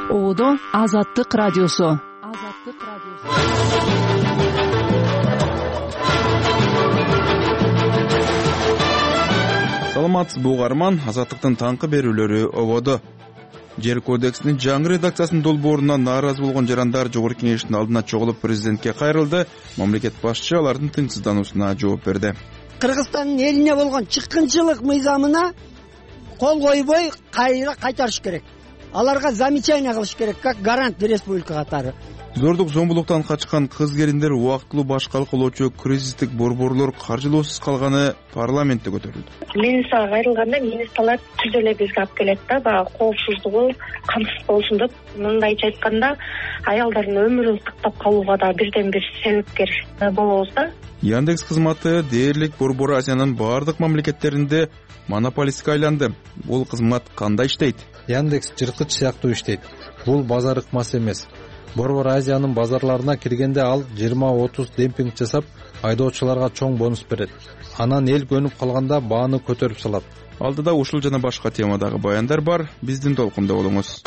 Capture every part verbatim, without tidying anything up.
Ободо Азаттык радиосу. Азаттык радиосу. Саламатсызбы угарман, Азаттыктын таңкы берүүлөрү ободо. Жер кодексинин жаңы редакциясынын долбоорунда нааразы болгон жарандар жогорку кеңештин алдына чогулуп президентке кайрылды. Мамлекет башчысы алардын тынчсыздануусуна жооп берди. Кыргызстандын элине болгон чыккынчылык мыйзамына кол койбой кайра кайтарыш керек. Аларга замечание кылыш керек, как гарант республика катары. Зордук зомбулуктан качкан кыз келиндер убактылуу башкалык кылуучу кризистик борборлор каржылоосуз калганы парламентте көтөрүлдү. Министрга кайрылганда министрлар түз эле бизге алып келет да, баягы коопсуздугу камсыз болсун деп. Мындайча айтканда, аялдардын өмүрүн сактап калууга да бирден бир себепкер болобуз да. Яндекс кызматы дээрлик Борбор Азиянын баардык мамлекеттеринде монополистке айланды. Бул кызмат кандай иштейт? Яндекс жырткыч сыяктуу иштейт. Бул базар ыкмасы эмес. Борбор Азиянын базарларына киргенде ал жыйырма отуз демпинг жасап, айдоочуларга чоң бонус берет. Анан эл көнүп калганда бааны көтөрүп салат. Алдыда ушул жана башка темадагы баяндар бар. Биздин толкунда болуңуз.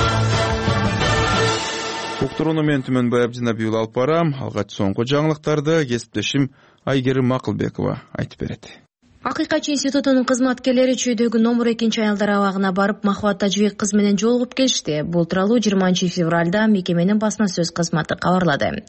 Уктурууну мен Түмөнбай Абдинабиул алып барам. Алгач соңку жаңылыктарды кесиптешим Айгерим Макылбекова айтып берет. Акыйкатчы институтунун кызматкерлери Чүйдөгү номер экинчи аялдар абагына барып, Махабат Тажыбек кыз менен жолугуп келишти. Бул тууралуу жыйырманчы февралда мекеменин басма сөз кызматы кабарлады.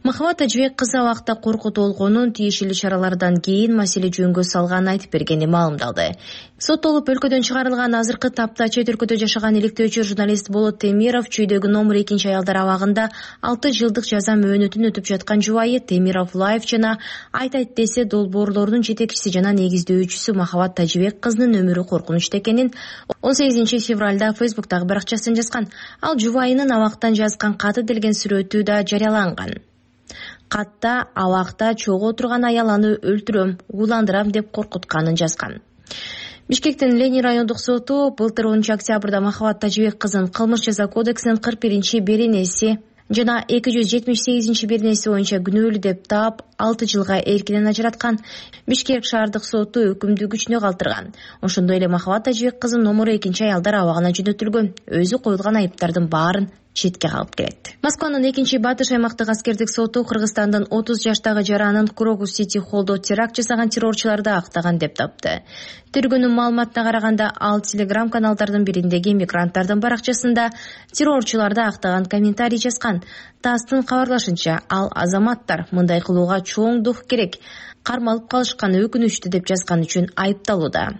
Махабат Тажыбек кыз абакта коркутуу болгонун, тиешелүү чаралардан кийин маселе жөнгө салганын айтып бергени маалымдалды. Соттолуп өлкөдөн чыгарылган азыркы тапта чет өлкөдө жашаган иликтөөчү журналист Болот Темиров Чүйдөгү номер экинчи аялдар абагында алты жылдык жаза мөөнөтүн өтүп жаткан жубайы Темиров Лайф жана айтайт десе долбоорлордун жетекчиси жана негиздөөчүсү Махабат Тажыбек кызынын өмүрү коркунучта экенин он сегизинчи февралда Фейсбуктагы баракчасынан жазган. Ал жубайынын абактан жазган каты делген сүрөтү да жарыяланган. Катта абакта чогуу отурган аял аны өлтүрөм, ууландырам деп коркутканын жазган. Бишкектин Ленин райондук соту былтыр онунчу октябрда Махабат Тажыбек кызын кылмыш жаза кодексинин кырк биринчи беренеси жана эки жүз жетимиш сегизинчи беренеси боюнча күнөөлүү деп таап, алты жылга эркинен ажыраткан. Бишкек шаардык соту өкүмдү күчүнө калтырган. Ошондой эле Махабат Тажыбек кызын номер экинчи аялдар абагына жөнөтүлгөн. Өзү коюлган айыптардын баарын четке калып келет. Москванын экинчи Батыш аймактык аскердик соту Кыргызстандын отуз жаштагы жаранын Крокус Сити холдо теракт жасаган террорчуларды актаган деп тапты. Тергөөнүн маалыматына караганда, ал Телеграм каналдардын бириндеги мигранттардын баракчасында террорчуларды актаган комментарий жазган. ТАССтын кабарлашынча, ал азаматтар мындай кылууга чоң дух керек, кармалып калышканы өкүнүчтүү деп жазган үчүн айыпталууда.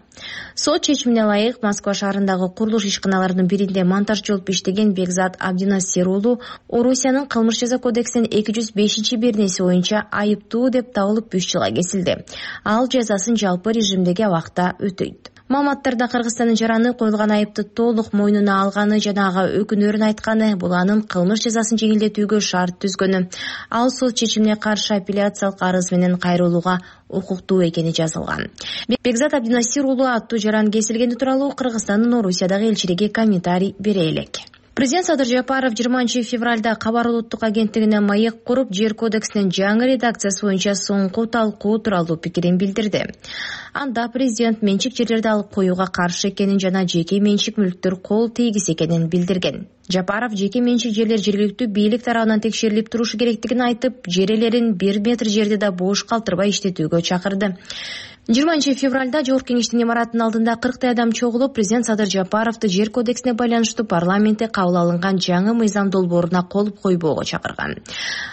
Сот чечимине ылайык Москва шаарындагы курулуш ишканаларынын биринде монтажчы болуп иштеген Бекзат Абдинасир уулу Орусиянын кылмыш жаза кодексинин эки жүз бешинчи беренеси боюнча айыптуу деп табылып үч жылга кесилди. Ал жазасын жалпы режимдеги абакта өтөйт. Маалыматтарда Кыргызстандын жараны коюлган айыпты толук мойнуна алганы жана ага өкүнөрүн айтканы, бул анын кылмыш жазасын жеңилдетүүгө шарт түзгөнү. Ал сот чечимине каршы апелляциялык арыз менен кайрылууга укуктуу экени жазылган. Бекзат Абдинасир уулу аттуу жаран кесилгени тууралуу Кыргызстандын Орусиядагы элчилиги комментарий бере элек. Президент Садыр Жапаров жыйырманчы февралда Кабар улуттук агенттигине маек куруп, жер кодексинин жаңы редакциясы боюнча соңку талкуу тууралуу пикирин билдирди. Анда президент менчик жерлерди алып коюуга каршы экенин жана жеке менчик мүлктөр кол тийгис экенин билдирген. Жапаров жеке менчик жерлер жергиликтүү бийлик тарабынан текшерилип турушу керектигин айтып, жер ээлерин бир метр жерди да бош калтырбай иштетүүгө чакырды. жыйырманчы февралда Жогорку кеңештин имаратынын алдында кырктай адам чогулуп, президент Садыр Жапаровду жер кодексине байланыштуу парламентте кабыл алынган жаңы мыйзам долбооруна кол койбоого чакырган.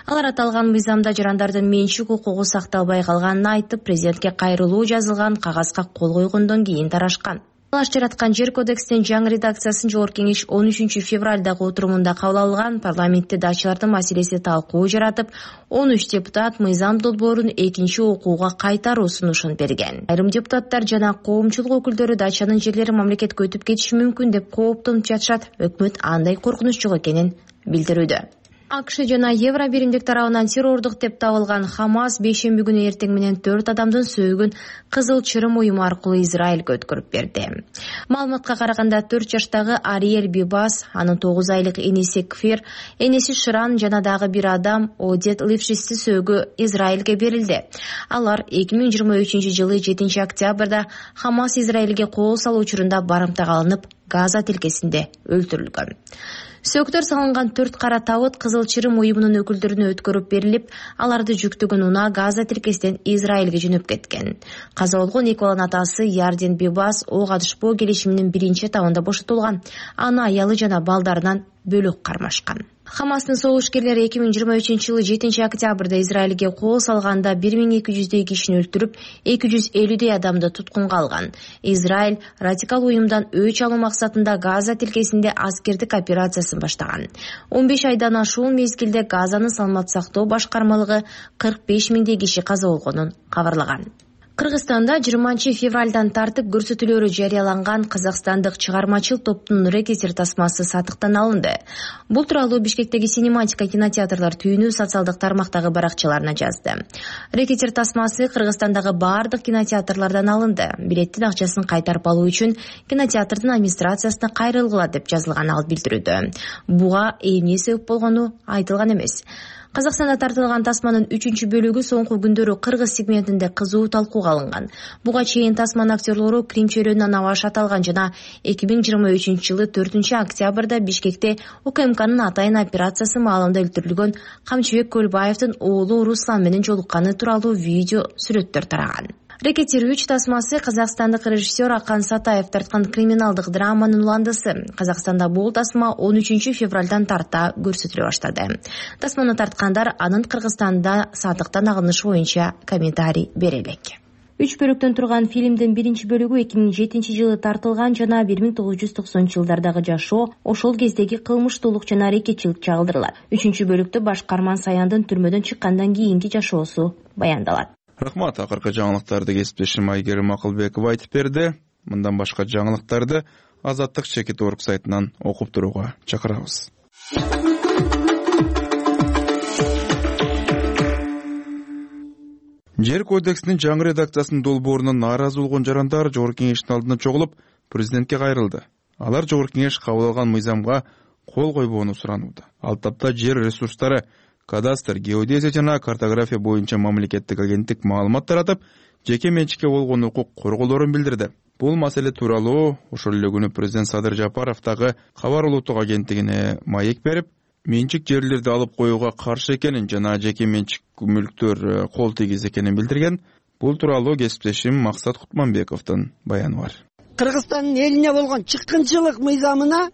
Алар аталган мыйзамда жарандардын менчик укугу сакталбай калганын айтып, президентке кайрылуу жазылган кагазга кол койгондон кийин тарашкан. Алаш жараткан жер кодексинин жаңы редакциясын Жогорку кеңеш он үчүнчү февралдагы отурумунда кабыл алган. Парламентте дачалардын маселеси талкуу жаратып, он үч депутат мыйзам долбоорун экинчи окууга кайтаруу сунушун берген. Айрым депутаттар жана коомчулук өкүлдөрү дачанын жерлери мамлекетке өтүп кетиши мүмкүн деп кооптонуп жатышат. Өкмөт андай коркунуч жок экенин билдирүүдө. АКШ жана Евро биримдик тарабынан террордук деп табылган Хамас бейшемби күнү эртең менен төрт адамдын сөөгүн Кызыл Чырым уюму аркылуу Израилге өткөрүп берди. Маалыматка караганда төрт жаштагы Ариэль Бибас, анын тогуз айлык энеси Кфир, энеси Ширан жана дагы бир адам Одет Лившисти сөөгү Израилге берилди. Алар эки миң жыйырма үчүнчү жылы жетинчи октябрда Хамас Израилге кол салуу учурунда барымтага алынып, Газа тилкесинде өлтүрүлгөн. Сөктөр салынган төрт кара табыт Кызыл Чырым уюмунун өкүлдөрүнө өткөрүп берилип, аларды жүктөгөн унаа Газа тилкесинен Израилге жөнөп кеткен. Каза болгон эки баланын атасы Ярден Бибас ок атышпоо келишиминин биринчи этабында бошотулган. Аны аялы жана балдарынан бөлөк кармашкан. Хамастын согушкерлери эки миң жыйырма үчүнчү жылы жетинчи октябрда Израилге кол салганда бир миң эки жүздөй кишини өлтүрүп, эки жүз элүүдөй адамды туткунга алган. Израиль радикал уюмдан өч алуу максатында Газа тилкесинде аскердик операциясын баштаган. он беш айдан ашуун мезгилде Газанын саламат сактоо башкармалыгы кырк беш миңдей киши каза болгонун кабарлаган. Кыргызстанда жыйырманчы февралдан тартып көрсөтүүлөрү жарыяланган казакстандык чыгармачыл топтун рекетир тасмасы сатыктан алынды. Бул тууралуу Бишкектеги Синематика кинотеатрлар түйүнү социалдык тармактагы баракчаларына жазды. Рекетир тасмасы Кыргызстандагы баардык кинотеатрлардан алынды. Билеттин акчасын кайтарып алуу үчүн кинотеатрдын администрациясына кайрылгыла деп жазылган ал билдирүүдө. Буга эмне себеп болгону айтылган эмес. Казакстанда тартылган тасманын үчүнчү бөлүгү соңку күндөрү кыргыз сегментинде кызуу талкууга алынган. Буга чейин тасманын актерлору Крим чөйрөнүнөн аваш аталган жана эки миң жыйырма үчүнчү жылы төртүнчү октябрда Бишкекте УКМКнын атайын операциясы маалында өлтүрүлгөн Камчыбек Көлбаевдин оолу Руслан менен жолукканы тууралуу видео сүрөттөр тараган. Рекетир үч тасмасы казакстандык режиссер Акан Сатаев тарткан криминалдык драманын уландысы. Казакстанда бул тасма он үчүнчү февралдан тарта көрсөтүлө баштады. Тасманы тарткандар анын Кыргызстанда сатыктан алынышы боюнча комментарий бере элек. Үч бөлүктөн турган фильмдин биринчи бөлүгү эки миң жетинчи жылы тартылган жана бир миң тогуз жүз токсонунчу жылдардагы жашоо, ошол кездеги кылмыштуулук жана рекетчилик чагылдырылат. Үчүнчү бөлүктө башкарман Саяндын түрмөдөн чыккандан кийинки жашоосу баяндалат. Рахмат, акыркы жаңылыктарды кесиптешим Айгерим Акылбекова айтып берди. Мындан башка жаңылыктарды Азаттык чекит орг сайтынан окуп турууга чакырабыз. Жер кодексинин жаңы редакциясынын долбоорунан нааразы болгон жарандар Жогорку кеңештин алдына чогулуп, президентке кайрылды. Алар Жогорку кеңеш кабыл алган мыйзамга кол койбоону суранууда. Ал тапта жер ресурстары, кадастр, геодезия жана картография боюнча мамлекеттик агенттик маалымат таратып, жеке менчикке болгон укук корголорун билдирди. Бул маселе тууралуу ошол эле күнү президент Садыр Жапаров дагы кабар улуттук агенттигине маек берип, менчик жерлерди алып коюуга каршы экенин жана жеке менчик мүлктөр кол тийгиз экенин билдирген. Бул тууралуу кесиптешим Максат Кутманбековдун баяны бар. Кыргызстандын элине болгон чыккынчылык мыйзамына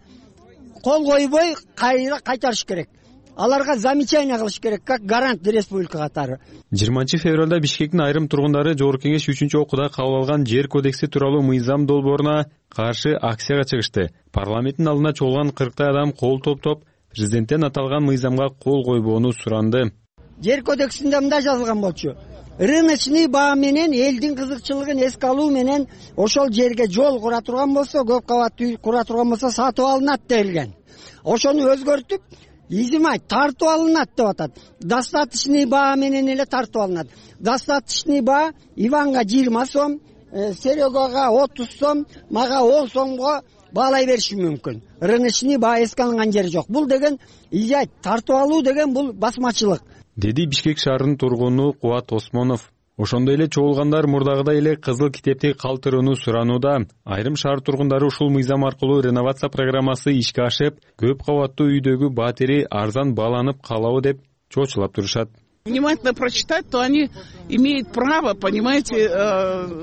кол койбой кайра кайтарыш керек. Аларга замечание кылыш керек, как гарант республика катары. жыйырманчы февралда Бишкектин айрым тургундары Жогорку кеңеш үчүнчү окууда кабыл алган жер кодекси тууралуу мыйзам долбооруна каршы акцияга чыгышты. Парламенттин алдына чогулган кырктай адам кол топтоп, президенттен аталган мыйзамга кол койбоону суранды. Жер кодексинде мындай жазылган болчу: рыночный баа менен элдин кызыкчылыгын эске алуу менен ошол жерге жол кура турган болсо, көп кабаттуу үй кура турган болсо сатып алынат делген. Ошону өзгөртүп изимай тартып алынат деп атат. Достаточный баа менен эле тартып алынат. Достаточный баа Иванга жыйырма сом, Серегага отуз сом, мага он сомго баалай бериши мүмкүн. Рыночный баа эске алынган жери жок. Бул деген изай тартып алуу деген бул басмачылык, деди Бишкек шаарынын тургуну Кубат Осмонов. Ошондой эле чогулгандар мурдагыдай эле кызыл китепти калтырууну суранууда. Айрым шаар тургундары ушул мыйзам аркылуу реновация программасы ишке ашып, көп кабаттуу үйдөгү батири арзан бааланып калабы деп чочулап турушат. Внимательно прочитать, то они имеют право, понимаете,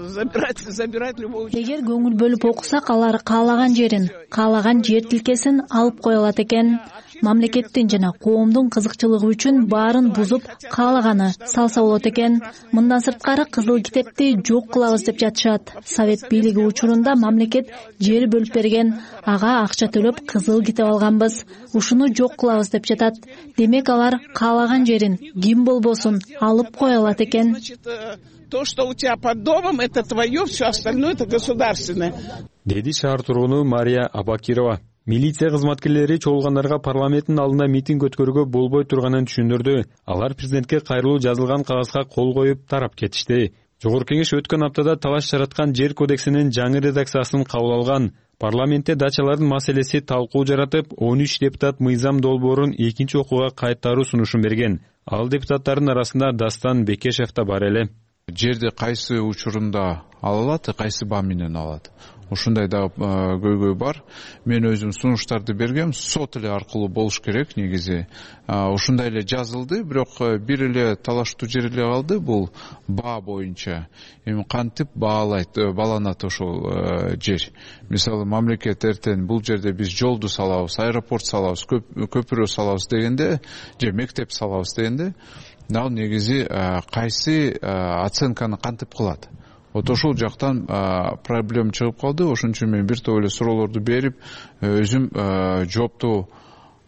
забирать, забирать любого. Эгер көңүл бөлүп окусак, алар каалаган жерин, каалаган жер тилкесин алып кое алат экен. Мамлекеттин жана коомдун кызыкчылыгы үчүн баарын бузуп каалаганы салса болот экен. Мындан сырткары кызыл китепти жок кылабыз деп жатышат. Совет бийлиги учурунда мамлекет жер бөлүп берген, ага акча төлөп кызыл китеп алганбыз. Ушуну жок кылабыз деп жатат. Демек алар каалаган жерин ким болбосун алып кое алат экен. То, что у тебя под домом, это твое, все остальное это государственное. Деди шаар тургуну Мария Абакирова. Милиция кызматкерлери чогулгандарга парламенттин алдында митинг өткөрүүгө болбой турганын түшүндүрдү. Алар президентке кайрылуу жазылган кагазга кол коюп тарап кетишти. Жогорку кеңеш өткөн аптада талаш жараткан жер кодексинин жаңы редакциясын кабыл алган. Парламентте дачалардын маселеси талкуу жаратып, он үч депутат мыйзам долбоорун экинчи окууга кайтаруу сунушун берген. Ал депутаттардын арасында Дастан Бекешев да бар эле. Жерди кайсы учурунда ала алат, кайсы баа менен алат? ушундай дагы көйгөй бар. Мен өзүм сунуштарды бергем, сот эле аркылуу болуш керек негизи. Ушундай эле жазылды, бирок бир эле талаштуу жер эле калды, бул баа боюнча. Эми кантип баалайт, бааланат ошол жер. Мисалы мамлекет эртең бул жерде биз жолду салабыз, аэропорт салабыз, көпүрө салабыз дегенде, же мектеп салабыз дегенде, ал негизи кайсы оценканы кантип кылат? Вот ошол жактан проблема чыгып калды. Ошон үчүн мен бир топ эле суроолорду берип, өзүм жоопту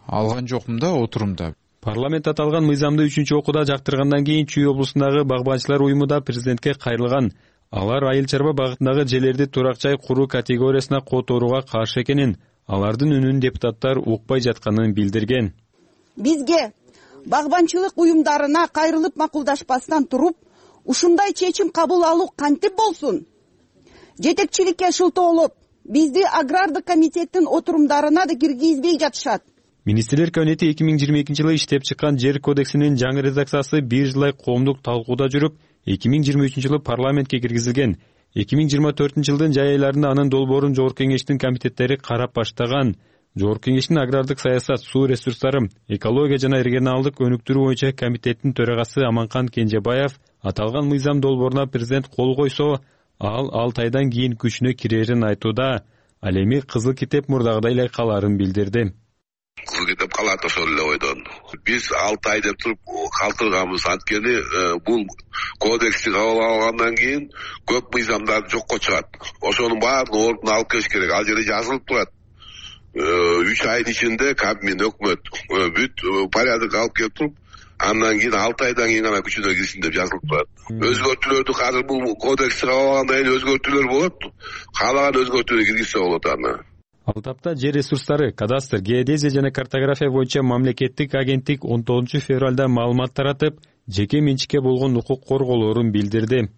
алган жокмун да отурумда. Парламент аталган мыйзамды үчүнчү окууда жактыргандан кийин Чүй облусундагы багбанчылар уюму да президентке кайрылган. Алар айыл чарба багытындагы жерлерди турак жай куруу категориясына которууга каршы экенин, алардын үнүн депутаттар укпай жатканын билдирген. Бизге багбанчылык уюмдарына кайрылып макулдашпастан туруп, ушундай чечим кабыл алуу кантип болсун? Жетекчиликке шылтоолоп, бизди агрардык комитеттин отурумдарына да киргизбей жатышат. Министрлер кабинети эки миң жыйырма экинчи жылы иштеп чыккан жер кодексинин жаңы редакциясы бир жылдай коомдук талкууда жүрүп, эки миң жыйырма үчүнчү жылы парламентке киргизилген. эки миң жыйырма төртүнчү жылдын жай айларында анын долбоорун Жогорку кеңештин комитеттери карап баштаган. Жогорку кеңештин агрардык саясат, суу ресурстары, экология жана регионалдык өнүктүрүү боюнча комитеттин төрагасы Аманкан Кенжебаев аталган мыйзам долбооруна президент кол койсо, ал алты айдан кийин күчүнө кирерин айтууда. Ал эми кызыл китеп мурдагыдай эле каларын билдирди. Кызыл китеп калат ошол эле ойдон. Биз алты ай деп туруп калтырганбыз, анткени бул кодексти кабыл алгандан кийин көп мыйзамдар жокко чыгат. Ошонун баардыгын ордуна алып келиш керек. Ал жерде жазылып турат. үч айдын ичинде кабмин, өкмөт бүт порядок алып келип туруп, андан кийин алты айдан кийин гана күчүнө кирсин деп жазылып турат. Өзгөртүүлөрдү азыр бул кодексти кабыл алгандан кийин өзгөртүүлөр болот. Каалаган өзгөртүүнү киргизсе болот аны. Ал тапта жер ресурстары, кадастр, геодезия жана картография боюнча мамлекеттик агенттик он тогузунчу февралда маалымат таратып, жеке менчикке болгон укук корголоорун билдирди.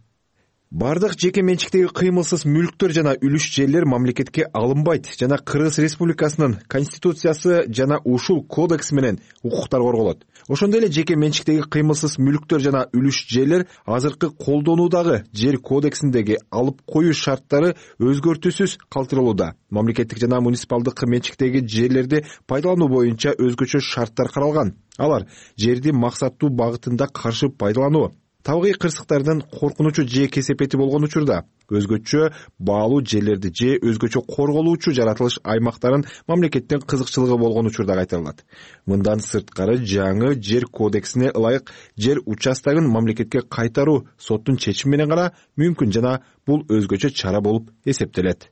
Бардык жеке менчиктеги кыймылсыз мүлктөр жана үлүш жерлер мамлекетке алынбайт жана Кыргыз Республикасынын конституциясы жана ушул кодекс менен укуктар корголот. Ошондой эле жеке менчиктеги кыймылсыз мүлктөр жана үлүш жерлер азыркы колдонуудагы жер кодексиндеги алып коюу шарттары өзгөртүүсүз калтырылууда. Мамлекеттик жана муниципалдык менчиктеги жерлерди пайдалануу боюнча өзгөчө шарттар каралган. Алар жерди максаттуу багытында каршы пайдалануу, табигый кырсыктардан коркунучу же кесепети болгон учурда өзгөчө баалуу жерлерди же өзгөчө корголуучу жаратылыш аймактарын мамлекеттин кызыкчылыгы болгон учурда кайтарылат. Мындан сырткары жаңы жер кодексине ылайык жер участогун мамлекетке кайтаруу соттун чечими менен гана мүмкүн жана бул өзгөчө чара болуп эсептелет.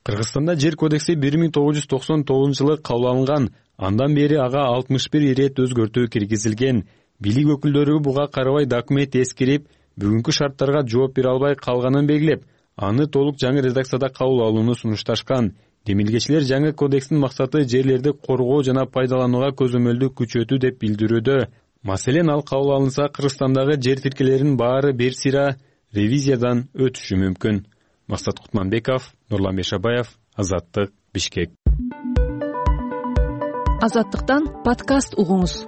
Кыргызстанда жер кодекси бир миң тогуз жүз токсон тогузунчу жылы кабыл алынган. Андан бери ага алтымыш бир ирет өзгөртүү киргизилген. Бийлик өкүлдөрү буга карабай документ эскирип, бүгүнкү шарттарга жооп бере албай калганын белгилеп, аны толук жаңы редакцияда кабыл алууну сунушташкан. Демилгечилер жаңы кодекстин максаты жерлерди коргоо жана пайдаланууга көзөмөлдү күчөтүү деп билдирүүдө. Маселен, ал кабыл алынса, Кыргызстандагы жер тилкелеринин баары бир сыйра ревизиядан өтүшү мүмкүн. Максат Кутманбеков, Нурлан Бешабаев, Азаттык, Бишкек. Азаттыктан подкаст угуңуз.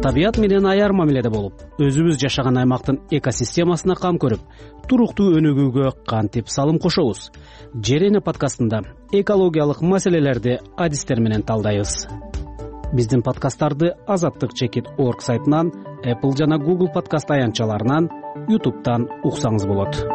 Табият менен аяр мамиледе болуп, өзүбүз жашаган аймактын экосистемасына кам көрүп, туруктуу өнүгүүгө кантип салым кошобуз? Жер эне подкастында экологиялык маселелерди адистер менен талдайбыз. Биздин подкасттарды азаттык чекит орг сайтынан, Apple жана Google подкаст аянтчаларынан, YouTube'дан уксаңыз болот.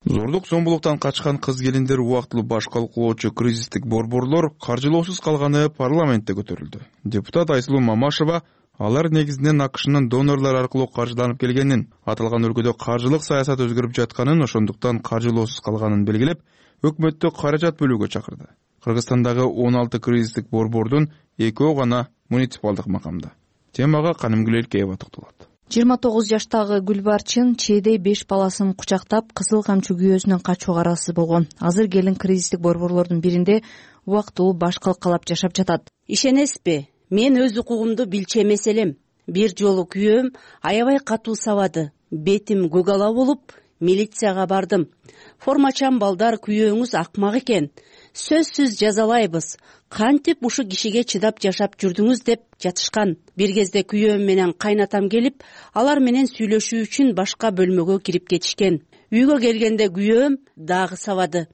Зордук зомбулуктан качкан кыз келиндер убактылуу баш калкулоочу кризистик борборлор каржылоосуз калганы парламентте көтөрүлдү. Депутат Айсулуу Мамашева алар негизинен АКШнын донорлор аркылуу каржыланып келгенин, аталган өлкөдө каржылык саясат өзгөрүп жатканын, ошондуктан каржылоосуз калганын белгилеп, өкмөттү каражат бөлүүгө чакырды. Кыргызстандагы он алты кризистик борбордун экөө гана муниципалдык макамда. Темага Канымгүл Элкеева токтолот. жыйырма тогуз жаштагы Гүлбарчын чээде беш баласын кучактап, кызыл камчы күйөөсүнөн качууга араксыз болгон. Азыр келин кризистик борборлордун биринде убактылуу баш калкалап жашап жатат. Ишенесизби? Мен өз укугумду билчү эмес элем. Бир жолу күйөөм аябай катуу сабады. Бетим көк ала болуп, милицияга бардым. Формачан балдар, күйөөңүз акмак экен. сөзсүз жазалайбыз, кантип ушул кишиге чыдап жашап жүрдүңүз деп жатышкан. Бир кезде күйөөм менен кайнатам келип, алар менен сүйлөшүү үчүн башка бөлмөгө кирип кетишкен. Үйгө келгенде күйөөм дагы сабады.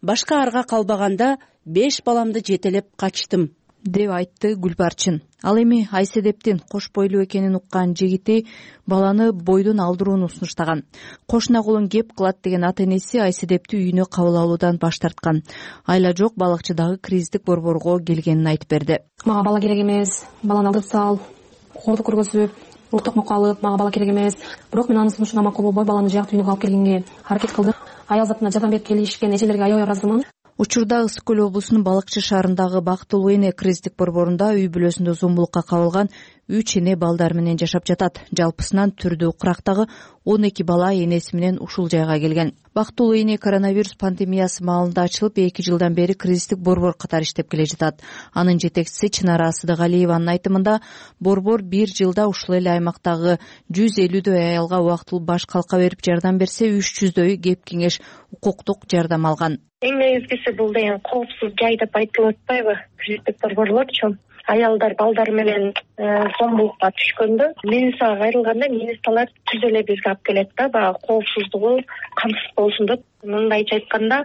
Башка арга калбаганда беш баламды жетелеп качтым, деп айтты Гүлбарчын. Ал эми Айседептин кош бойлуу экенин уккан жигити баланы бойдон алдырууну сунуштаган. Кошуна колун кеп кылат деген ата энеси Айседепти үйүнө кабыл алуудан баш тарткан. Айла жок балыкчы дагы кризистик борборго келгенин айтып берди. Мага бала керек эмес, баланы алдырып сал, корду көргөзүп, уктук мукка алып, мага бала керек эмес. Бирок мен анын сунушуна макул болбой баланы жак үйүнө алып келгенге аракет кылдым. Аял затына жардам берип келишкен эжелерге аябай ыраазымын. Учурда Ысык көл облусунун Балыкчы шаарындагы Бактылуу эне кризистик борборунда үй бүлөсүндө зомбулукка кабылган үч эне балдар менен жашап жатат. Жалпысынан түрдүү кырактагы он эки бала энеси менен ушул жайга келген. Бактылуу эне коронавирус пандемиясы маалында ачылып, эки жылдан бери кризистик борбор катары иштеп келе жатат. Анын жетекчиси Чынара Сыдыгалиеванын айтымында, борбор бир жылда ушул эле аймактагы жүз элүүдөй аялга убактылуу баш калка берип жардам берсе, үч жүздөйү кеп кеңеш, укуктук жардам алган. Эң негизгиси бул деген коопсуз жай деп айтылып атпайбы? Кризистик борборлорчу аялдар балдар менен зомбулукка түшкөндө Минисага кайрылганда министрлар түз эле бизге алып келет да, баягы коопсуздугу камсыз болсун деп. Мындайча айтканда,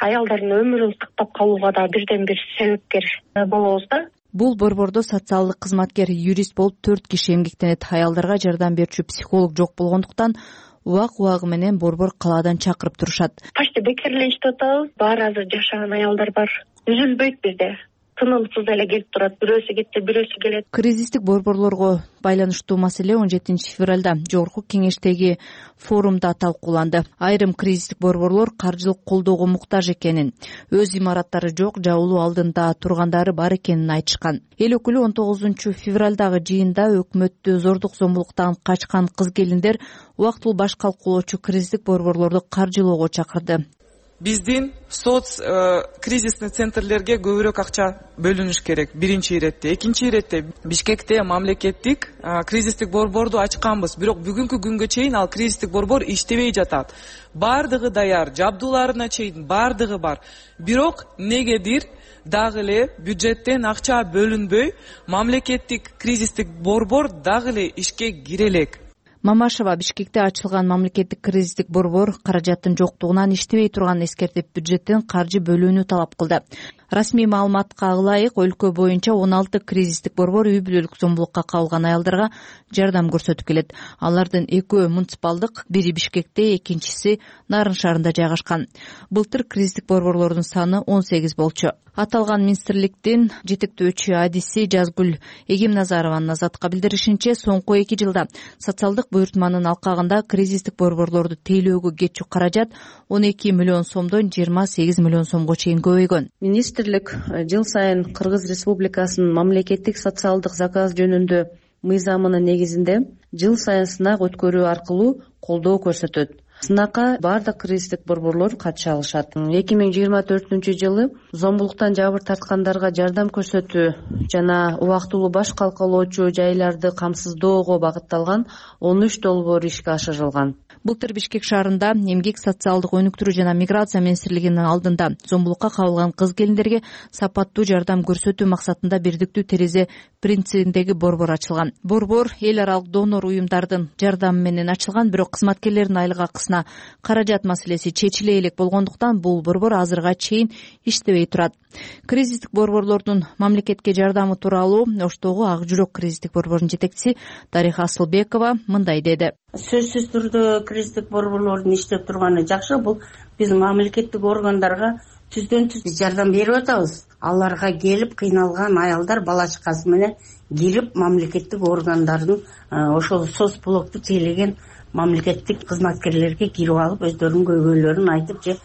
аялдардын өмүрүн сактап калууга да бирден бир себепкер болобуз да. Бул борбордо социалдык кызматкер, юрист болуп төрт киши эмгектенет. Аялдарга жардам берүүчү психолог жок болгондуктан убак убагы менен борбор калаадан чакырып турушат. Почти бекер эле иштеп атабыз. Баары азыр жашаган аялдар бар. Үзүлбөйт бизде. Тынымсыз эле келип турат. Бирөөсү кетти, бирөөсү келет. Кризистик борборлорго байланыштуу маселе он жетинчи февралда жогорку кеңештеги форумда талкууланды. Айрым кризистик борборлор каржылык колдоого муктаж экенин, өз имараттары жок, жабылуу алдында тургандары бар экенин айтышкан. Эл өкүлү он тогузунчу февралдагы жыйында өкмөттү зордук зомбулуктан качкан кыз келиндер убактылуу баш калкуулоочу кризистик борборлорду каржылоого чакырды. Биздин соц кризисный центрлерге көбүрөөк акча бөлүнүш керек. Биринчи иретте, экинчи иретте Бишкекте мамлекеттик кризистик борборду ачканбыз. Бирок бүгүнкү күнгө чейин ал кризистик борбор иштебей жатат. Бардыгы даяр, жабдууларына чейин бардыгы бар. Бирок негедир дагы эле бюджеттен акча бөлүнбөй, мамлекеттик кризистик борбор дагы эле ишке кире элек. Мамашева Бишкекте ачылган мамлекеттик кризистик борбор каражаттын жоктугунан иштебей турганын эскертип, бюджеттен каржы бөлүүнү талап кылды. Расмий маалыматка ылайык, өлкө боюнча он алты кризистик борбор үй бүлөлүк зомбулукка кабылган аялдарга жардам көрсөтүп келет. Алардын экөө муниципалдык, бири Бишкекте, экинчиси Нарын шаарында жайгашкан. Былтыр кризистик борборлордун саны он сегиз болчу. Аталган министрликтин жетектөөчү адиси Жазгүл Эгемназарованын Азатка билдиришинче, соңку эки жылда социалдык буйртманын алкагында кризистик борборлорду тейлөөгө кетчү каражат он эки миллион сомдон жыйырма сегиз миллион сомго чейин көбөйгөн. Министрлик жыл сайын Кыргыз Республикасынын мамлекеттик социалдык заказ жөнүндө мыйзамынын негизинде жыл сайын сынак өткөрүү аркылуу колдоо көрсөтөт. Сынакка бардык кризистик борборлор катыша алышат. эки миң жыйырма төртүнчү жылы зомбулуктан жабыр тарткандарга жардам көрсөтүү жана убактылуу баш калкалоочу жайларды камсыздоого багытталган он үч долбоор ишке ашырылган. Былтыр Бишкек шаарында эмгек, социалдык өнүктүрүү жана миграция министрлигинин алдында зомбулукка кабылган кыз келиндерге сапаттуу жардам көрсөтүү максатында бирдиктүү терезе принцибиндеги борбор ачылган. Борбор эл аралык донор уюмдардын жардамы менен ачылган, бирок кызматкерлердин айлык акысына каражат маселеси чечиле элек болгондуктан бул борбор азырга чейин иштебей турат. Кризистик борборлордун мамлекетке жардамы тууралуу Оштогу Ак жүрөк кризистик борбордун жетекчиси Дариха Асылбекова мындай деди. Сөзсүз түрдө кризистик борборлордун иштеп турганы жакшы. Бул биз мамлекеттик органдарга түздөн түз жардам берип атабыз. Аларга келип кыйналган аялдар бала чакасы менен келип мамлекеттик органдардын ошол соц блокту тейлеген мамлекеттик кызматкерлерге кирип алып, өздөрүнүн көйгөйлөрүн айтып, же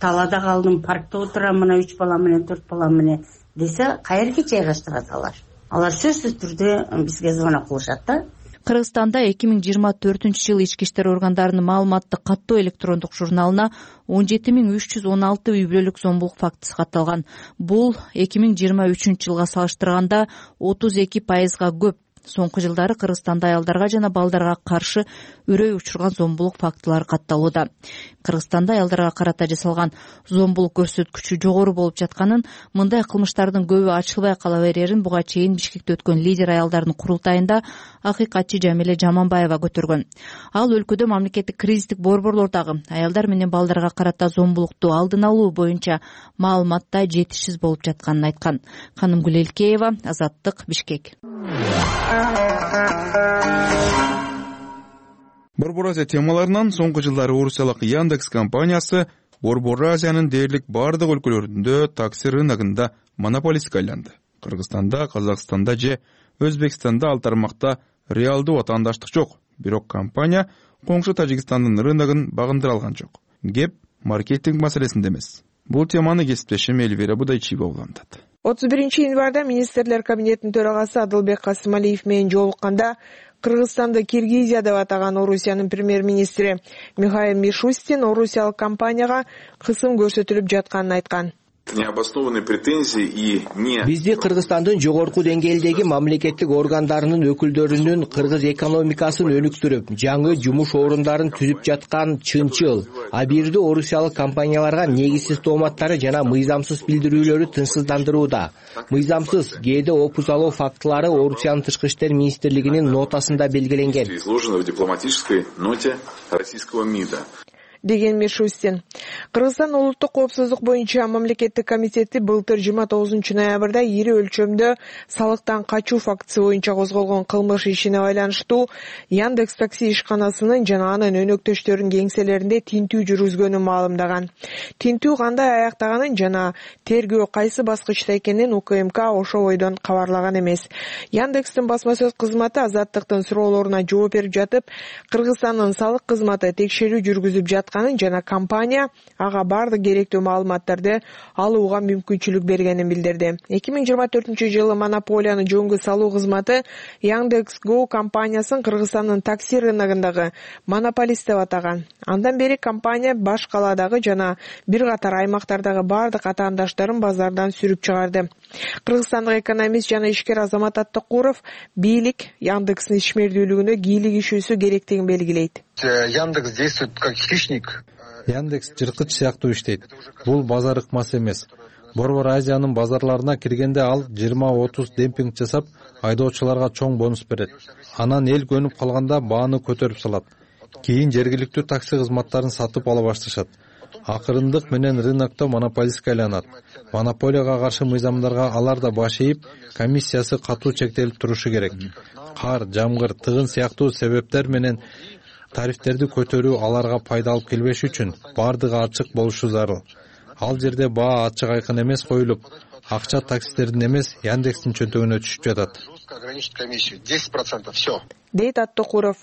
талаада калдым, паркта отурам, мына үч бала менен, төрт бала менен десе, каерге жайгаштырат алар. Алар сөзсүз түрдө бизге звонок кылышат да. Кыргызстанда эки миң жыйырма төртүнчү жылы ички иштер органдарынын маалыматтык каттоо электрондук журналына он жети миң үч жүз он алты үй бүлөлүк зомбулук фактысы катталган. Бул эки миң жыйырма үчүнчү жылга салыштырганда отуз эки пайызга көп. Соңку жылдары Кыргызстанда аялдарга жана балдарга каршы үрөй учурган зомбулук фактылары катталууда. Кыргызстанда аялдарга карата жасалган зомбулук көрсөткүчү жогору болуп жатканын, мындай кылмыштардын көбү ачылбай кала берерин буга чейин Бишкекте өткөн лидер аялдардын курултайында акыйкатчы Жамиле Жаманбаева көтөргөн. Ал өлкөдө мамлекеттик кризистик борборлордогу аялдар менен балдарга карата зомбулукту алдын алуу боюнча маалыматта жетишсиз болуп жатканын айткан. Канымгүл Элкеева, Азаттык, Бишкек. Борбор Азия темаларынан соңку жылдары орусиялык Яндекс компаниясы Борбор Азиянын дээрлик бардык өлкөлөрүндө такси рыногунда монополистке айланды. Кыргызстанда, Казакстанда же Өзбекстанда ал тармакта реалдуу ватандаштык жок. Бирок компания коңшу Тажикстандын рыногун багындыра алган жок. Кеп маркетинг маселесинде эмес. Бул теманы кесиптешим Эльвира Будайчиева улантат. отуз биринчи январда министрлер кабинетинин төрагасы Адылбек Касымалиев менен жолукканда Кыргызстанды Киргизия деп атаган Орусиянын премьер-министри Михаил Мишустин орусиялык компанияга кысым көрсөтүлүп жатканын айткан. Необоснованные претензии и не Бизди Кыргызстандын жогорку деңгээлдеги мамлекеттик органдарынын өкүлдөрүнүн кыргыз экономикасын өнүктүрүп, жаңы жумуш орундарын түзүп жаткан чынчыл, а бирде орусиялык компанияларга негизсиз тооматтары жана мыйзамсыз билдирүүлөрү тынчсыздандырууда. Мыйзамсыз кээде опузалоо фактылары Орусиянын тышкы иштер министрлигинин нотасында белгиленген. Изложено в дипломатической ноте российского МИДа. Деген Мишустин. Кыргызстан улуттук коопсуздук боюнча мамлекеттик комитети былтыр жыйырма тогузунчу ноябрда ири өлчөмдө салыктан качуу фактысы боюнча козголгон кылмыш ишине байланыштуу Яндекс такси ишканасынын жана анын өнөктөштөрүнүн кеңселеринде тинтүү жүргүзгөнүн маалымдаган. Тинтүү кандай аяктаганын жана тергөө кайсы баскычта экенин УКМК ошол бойдон кабарлаган эмес. Яндекстин басма сөз кызматы Азаттыктын суроолоруна жооп берип жатып, Кыргызстандын салык кызматы текшерүү жүргүзүп жаткан жана компания ага бардык керектүү маалыматтарды алууга мүмкүнчүлүк бергенин билдирди. эки миң жыйырма төртүнчү жылы монополияны жөнгө салуу кызматы Яндекс.Го компаниясын Кыргызстандын такси рыногундагы монополист деп атаган. Андан бери компания баш каладагы жана бир катар аймактардагы бардык атаандаштарын базардан сүрүп чыгарды. Кыргызстандык экономист жана ишкер Азамат Аттыкуров бийлик Яндекстин ишмердүүлүгүнө кийлик ишүүсү керектигин белгилейт. Яндекс действует как хищник. Яндекс жырткыч сыяктуу иштейт. Бул базар ыкмасы эмес. Борбор Азиянын базарларына киргенде ал жыйырма отуз демпинг жасап, айдоочуларга чоң бонус берет. Анан эл көнүп калганда бааны көтөрүп салат. Кийин жергиликтүү такси кызматтарын сатып ала башташат. Акырындык менен рынокто монополистке айланат. Монополияга каршы мыйзамдарга алар да баш ийип, комиссиясы катуу чектелип турушу керек. Кар, жамгыр, тыгын сыяктуу себептер менен тарифтерди көтөрүү аларга пайда алып келбеш үчүн бардыгы ачык болушу зарыл. Ал жерде баа ачык айкын эмес коюлуп, акча таксистердин эмес Яндекстин чөнтөгүнө түшүп жатат. десять процентов все. Дейт Аттыкуров.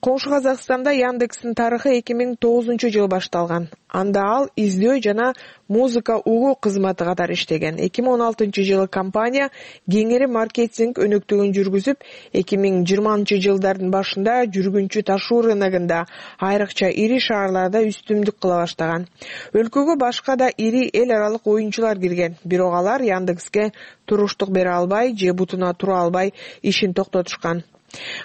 Коңшу Казакстанда Яндекстин тарыхы эки миң тогузунчу жылы башталган. Анда ал издөө жана музыка угуу кызматы катары иштеген. эки миң он алтынчы жылы компания кеңири маркетинг өнөктүгүн жүргүзүп, эки миң жыйырманчы жылдардын башында жүргүнчү ташуу рыногунда, айрыкча ири шаарларда үстүмдүк кыла баштаган. Өлкөгө башка да ири эл аралык оюнчулар кирген, бирок алар Яндекске туруштук бере албай же бутуна тура албай ишин токтотушкан.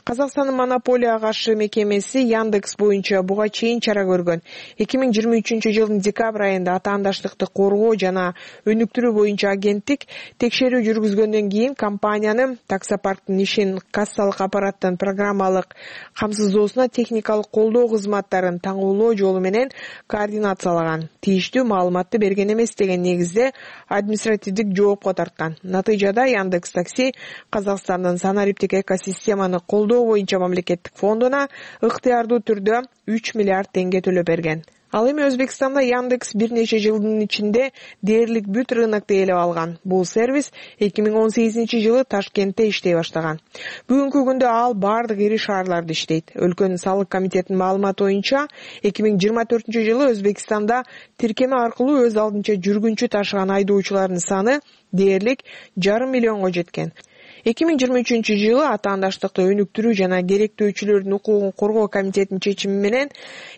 Казакстандын монополияга каршы мекемеси Яндекс боюнча буга чейин чара көргөн. эки миң жыйырма үчүнчү жылдын декабрь айында атаандаштыкты коргоо жана өнүктүрүү боюнча агенттик текшерүү жүргүзгөндөн кийин компаниянын таксопарктын ишин, кассалык аппараттын программалык камсыздоосуна техникалык колдоо кызматтарын таңуулоо жолу менен координациялаган, тийиштүү маалыматты берген эмес деген негизде административдик жоопко тарткан. Натыйжада Яндекс такси Казакстандын санариптик экосистеманы колдоо боюнча мамлекеттик фондуна ыктыярдуу түрдө үч миллиард теңге төлөп берген. Ал эми Өзбекстанда Яндекс бир нече жылдын ичинде дээрлик бүт рынокто ээлеп алган. Бул сервис эки миң он сегизинчи жылы Ташкентте иштей баштаган. Бүгүнкү күндө ал бардык ири шаарларда иштейт. Өлкөнүн салык комитетинин маалыматы боюнча эки миң жыйырма төртүнчү жылы Өзбекстанда тиркеме аркылуу өз алдынча жүргүнчү ташыган айдоочулардын саны дээрлик жарым миллионго жеткен. эки миң жыйырма үчүнчү жылы атаандаштыкты өнүктүрүү жана керектөөчүлөрдүн укугун коргоо комитетинин чечими менен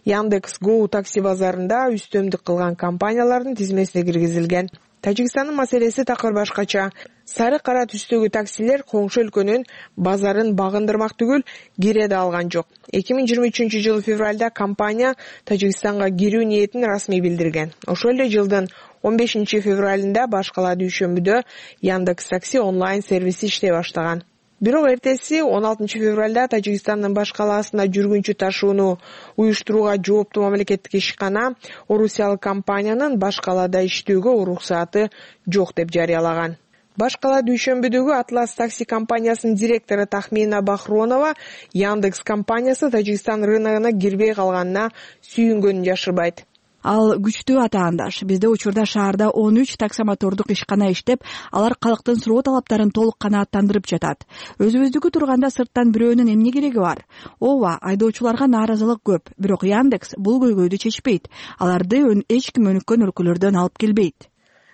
Яндекс.Го такси базарында үстөмдүк кылган компаниялардын тизмесине киргизилген. Тажикстандын маселеси такыр башкача. Сары кара түстөгү таксилер коңшу өлкөнүн базарын багындырмак түгүл, кире да алган жок. эки миң жыйырма үчүнчү жылы февралда компания Тажикстанга кирүү ниетин расмий билдирген. Ошол эле жылдын он бешинчи февралында баш кала дүйшөмбүдө Яндекс Такси онлайн сервиси иштей баштаган. Бирок эртеси он алтынчы февралда Тажикстандын баш калаасына жүргүнчү ташууну уюштурууга жооптуу мамлекеттик ишкана орусиялык компаниянын баш калаада иштөөгө уруксааты жок деп жарыялаган. Баш кала дүйшөмбүдөгү Атлас такси компаниясынын директору Тахмина Бахронова Яндекс компаниясы Тажикстан рыногуна кирбей калганына сүйүнгөнүн жашырбайт. Ал күчтүү атаандаш. Бизде учурда шаарда он үч таксомотордук ишкана иштеп, алар калктын суроо талаптарын толук канааттандырып жатат. Өзүбүздүкү турганда сырттан бирөөнүн эмне кереги бар? Ооба, айдоочуларга нааразылык көп, бирок Яндекс бул көйгөйдү чечпейт. Аларды эч ким өнүккөн өлкөлөрдөн алып келбейт,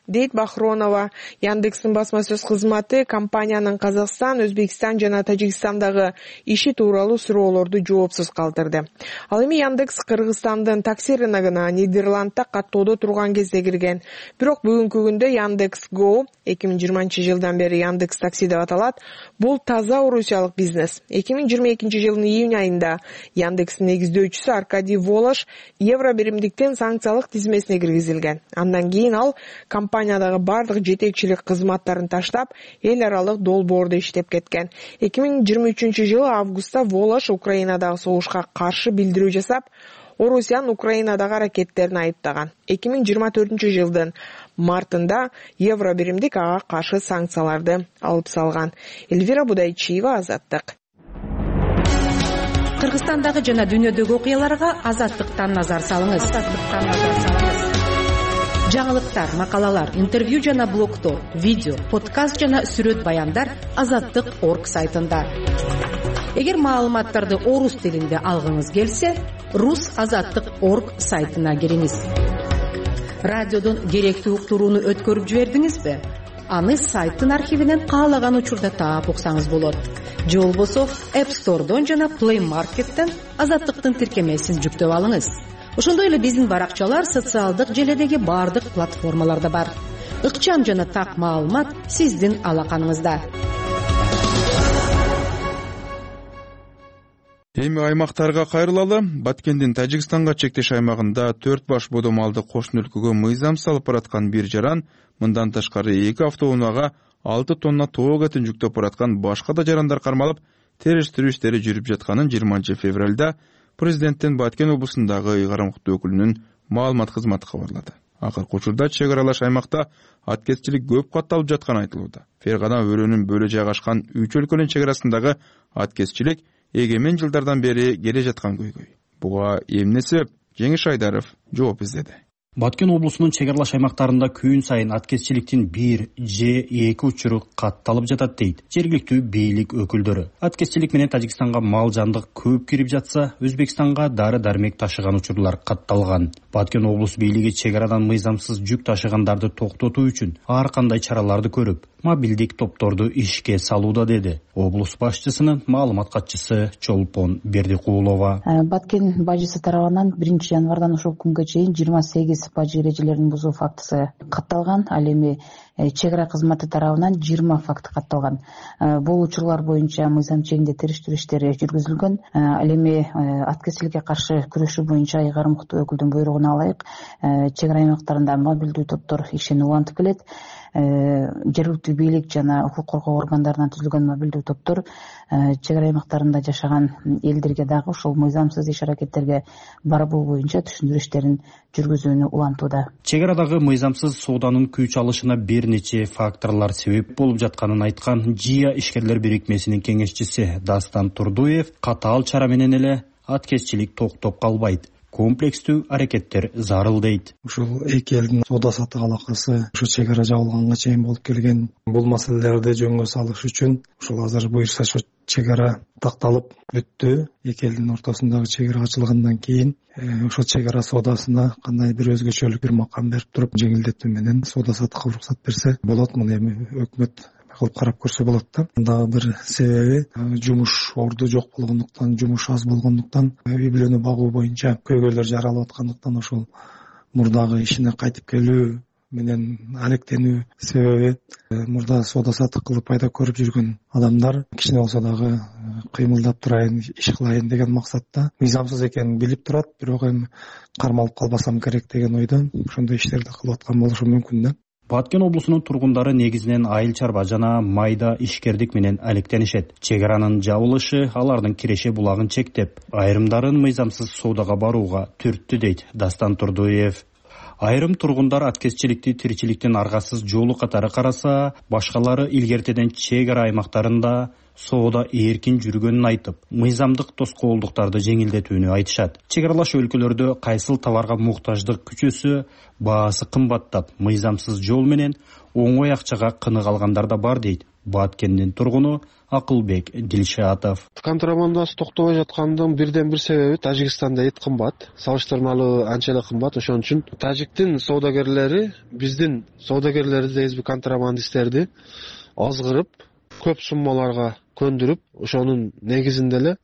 дейт Бахронова. Яндекстин басма сөз кызматы компаниянын Казакстан, Өзбекстан жана Тажикстандагы иши тууралуу суроолорду жоопсуз калтырды. Ал эми Яндекс Кыргызстандын такси рыногуна Нидерландда каттоодо турган кезде кирген. Бирок бүгүнкү күндө Яндекс Go, эки миң жыйырманчы жылдан бери Яндекс Такси деп аталат, бул таза орусиялык бизнес. эки миң жыйырма экинчи жылдын июнь айында Яндекстин негиздөөчүсү Аркадий Волош евро биримдиктен санкциялык тизмесине киргизилген. Андан кийин ал компаниядагы бардык жетекчилик кызматтарын таштап, эл аралык долбоордо иштеп кеткен. эки миң жыйырма үчүнчү жылы августта Волош Украинадагы согушка каршы билдирүү жасап, Орусиянын Украинадагы аракеттерин айыптаган. эки миң жыйырма төртүнчү жылдын мартында евро биримдик ага каршы санкцияларды алып салган. Эльвира Будайчиева, Азаттык. Кыргызстандагы жана дүйнөдөгү окуяларга Азаттыктан назар салыңыз. Азаттыктан назар салыңыз. Жаңылыктар, макалалар, интервью жана блогтор, видео, подкаст жана сүрөт баяндар азаттык точка орг сайтында. Эгер маалыматтарды орус тилинде алгыңыз келсе, рус азаттык точка орг сайтына кириңиз. Радиодон керектүү уктурууну өткөрүп жибердиңизби? Аны сайттын архивинен каалаган учурда таап уксаңыз болот. Же болбосо App Store'дон жана Play Market'тен азаттыктын тиркемесин жүктөп алыңыз. Ошондой эле биздин баракчалар социалдык желедеги бардык платформаларда бар. Ыкчам жана так маалымат сиздин алаканыңызда. Эми аймактарга кайрылалы. Баткендин Тажикстанга чектеш аймагында төрт баш бодомалды кошуна өлкөгө мыйзам салып бараткан бир жаран, мындан тышкары эки автоунаага алты тонна тоок этин жүктөп бараткан башка да жарандар кармалып, териштирүү иштери жүрүп жатканын жыйырманчы февралда президенттин Баткен облусундагы ыйгарым укуктуу өкүлүнүн маалымат кызматы кабарлады. Акыркы учурда чек аралаш аймакта аткезчилик көп катталып жатканы айтылууда. Фергана өрөөнүн бөлө жайгашкан үч өлкөнүн чек арасындагы аткезчилик эгемен жылдардан бери келе жаткан көйгөй. Буга эмне себеп? Жеңиш Айдаров жооп издеди. Баткен облусунун чек аралаш аймактарында күн сайын аткезчиликтин бир же эки учуру катталып жатат дейт жергиликтүү бийлик өкүлдөрү. Аткезчилик менен Тажикстанга мал жандык көп кирип жатса, Өзбекстанга дары дармек ташыган учурлар катталган. Баткен облус бийлиги чек арадан мыйзамсыз жүк ташыгандарды токтотуу үчүн ар кандай чараларды көрүп, мобилдик топторду ишке салууда, деди облус башчысынын маалымат катчысы Чолпон Бердикулова. Баткен бажысы тарабынан биринчи январдан ушул күнгө чейин жыйырма сегиз бажы эрежелерин бузуу фактысы катталган. Ал эми чек ара кызматы тарабынан жыйырма факт катталган. Бул учурлар боюнча мыйзам чегинде териштирүү иштери жүргүзүлгөн. Ал эми аткезчиликке каршы күрөшүү боюнча ыйгарым укуктуу өкүлдүн буйругуна ылайык чек ара аймактарында мобилдүү топтор ишин улантып келет. Жергиликтүү бийлик жана укук коргоо органдарынан түзүлгөн мобилдүү топтор чек ара аймактарында жашаган элдерге дагы ушул мыйзамсыз иш аракеттерге барбоо боюнча түшүндүрүү иштерин жүргүзүүнү улантууда. Чек арадагы мыйзамсыз сооданын күч алышына бир нече факторлор себеп болуп жатканын айткан ЖИА ишкерлер бирикмесинин кеңешчиси Дастан Турдуев катаал чара менен эле аткезчилик токтоп калбайт, комплекстүү аракеттер зарыл дейт. Ушул эки элдин соода саттык алакасы ушу чек ара жабылганга чейин болуп келген. Бул маселелерди жөнгө салыш үчүн ушул азыр буюрса чек ара такталып бүттү. Эки элдин ортосундагы чек ара ачылгандан кийин ошол чек ара соодасына кандай бир өзгөчөлүк бир макам берип туруп жеңилдетүү менен соода саттыкка уруксат берсе болот. Муну эми өкмөт кылып карап көрсө болот да. Дагы бир себеби жумуш орду жок болгондуктан, жумуш аз болгондуктан, үй бүлөнү багуу боюнча көйгөйлөр жаралып аткандыктан ошол мурдагы ишине кайтып келүү менен алектенүү себеби мурда соода саттык кылып пайда көрүп жүргөн адамдар кичине болсо дагы кыймылдап турайын, иш кылайын деген максатта мыйзамсыз экенин билип турат, бирок эми кармалып калбасам керек деген ойдон ошондой иштерди кылып аткан болушу мүмкүн да. Баткен облусунун тургундары негизинен айыл чарба жана майда ишкердик менен алектенишет. Чек аранын жабылышы алардын киреше булагын чектеп, айрымдарын мыйзамсыз соодага барууга түрттү дейт Дастан Турдуев. Айрым тургундар аткезчиликти тиричиликтин аргасыз жолу катары караса, башкалары илгертеден чек ара аймактарында соода эркин жүргөнүн айтып, мыйзамдык тоскоолдуктарды жеңилдетүүнү айтышат. Чек аралаш өлкөлөрдө кайсыл товарга муктаждык күчөсө, баасы кымбаттап, мыйзамсыз жол менен оңой акчага кынык алгандар да бар дейт Баткендин тургуну Акылбек Дилшатов. Контрабандасы токтобой жаткандын бирден бир себеби Тажикстанда эт кымбат, салыштырмалуу анча эле кымбат. Ошон үчүн тажиктин соодагерлери биздин соодагерлерди, контрабандисттерди азгырып, көп суммаларга көндүрүп, ошонун негизинде эле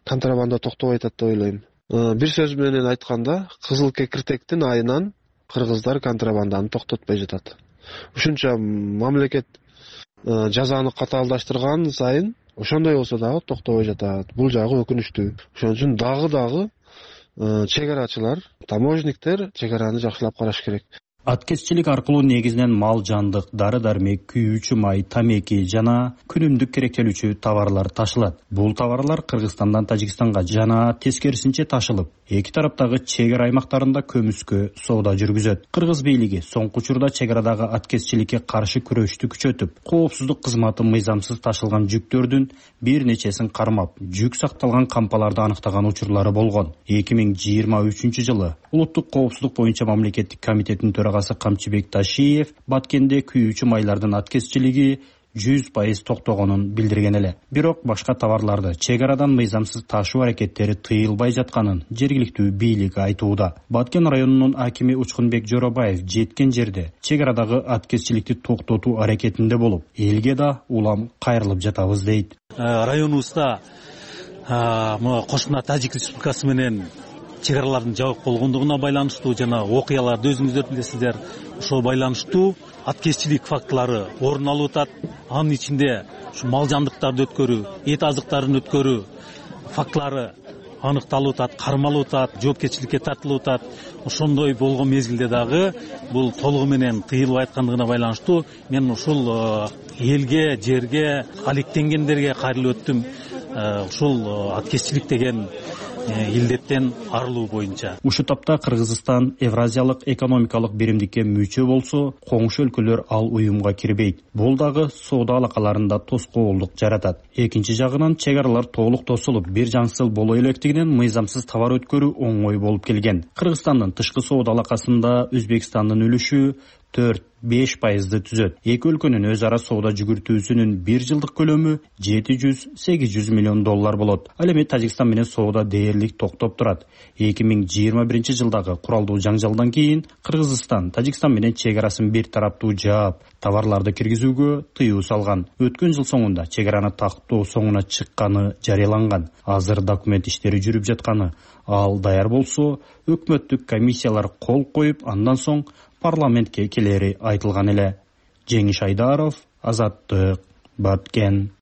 контрабанда токтобой атат деп ойлойм. Бир сөз менен айтканда, кызыл кекиртектин айынан кыргыздар контрабанданы токтотпой жатат. Ушунча мамлекет жазаны катаалдаштырган сайын ошондой болсо дагы токтобой жатат. Бул жагы өкүнүчтүү. Ошон үчүн дагы дагы чек арачылар, таможниктер чек араны жакшылап караш керек. Аткезчилик аркылуу негизинен мал жандык, дары-дармек, күйүүчү май, тамеки жана күнүмдүк керектелүүчү товарлар ташылат. Бул товарлар Кыргызстандан Тажикстанга жана тескерисинче ташылып, эки тараптагы чек ара аймактарында көмүскө соода жүргүзөт. Кыргыз бийлиги соңку учурда чек арадагы аткезчиликке каршы күрөштү күчөтүп, коопсуздук кызматы мыйзамсыз ташылган жүктөрдүн бир нечесин кармап, жүк сакталган кампаларды аныктаган учурлары болгон. эки миң жыйырма үчүнчү жылы Улуттук коопсуздук боюнча мамлекеттик комитеттин төрагасы Камчыбек Ташиев Баткенде күйүүчү майлардын аткезчилиги жүз пайыз токтогонун билдирген эле. Бирок башка товарларды чек арадан мыйзамсыз ташуу аракеттери тыйылбай жатканын жергиликтүү бийлик айтууда. Баткен районунун акими Учкунбек Жоробаев жеткен жерде чек арадагы аткезчиликти токтотуу аракетинде болуп, элге да улам кайрылып жатабыз дейт. Районубузда кошуна Тажик Республикасы менен чек аралардын жабык болгондугуна байланыштуу жана окуяларды өзүңүздөр билесиздер, ошол байланыштуу аткезчилик фактылары орун алып атат. Анын ичинде ушу мал жандыктарды өткөрүү, эт азыктарын өткөрүү фактылары аныкталып атат, кармалып атат, жоопкерчиликке тартылып атат. Ошондой болгон мезгилде дагы бул толугу менен тыйылбай аткандыгына байланыштуу мен ушул элге, жерге, алектенгендерге кайрылып өттүм. Ушул аткезчилик деген илдеттен арылуу боюнча. Ушу тапта Кыргызстан Евразиялык экономикалык биримдикке мүчө болсо, коңшу өлкөлөр ал уюмга кирбейт. Бул дагы соода алакаларында тоскоолдук жаратат. Экинчи жагынан чек аралар толук тосулуп, бир жаңсыл боло электигинен мыйзамсыз товар өткөрүү оңой болуп келген. Кыргызстандын тышкы соода алакасында Өзбекстандын үлүшү төрт беш пайызды түзөт. Эки өлкөнүн өз ара соода жүгүртүүсүнүн бир жылдык көлөмү жети жүз сегиз жүз миллион доллар болот. Ал эми Тажикстан менен соода дээрлик токтоп турат. эки миң жыйырма биринчи жылдагы куралдуу жаңжалдан кийин Кыргызстан Тажикстан менен чек арасын бир тараптуу жаап, товарларды киргизүүгө тыюу салган. Өткөн жыл соңунда чек араны тактоо соңуна чыкканы жарыяланган. Азыр документ иштери жүрүп жатканы, ал даяр болсо, өкмөттүк комиссиялар кол коюп, андан соң парламентке келери айтылган эле. Жеңиш Айдаров, Азаттык, Баткен.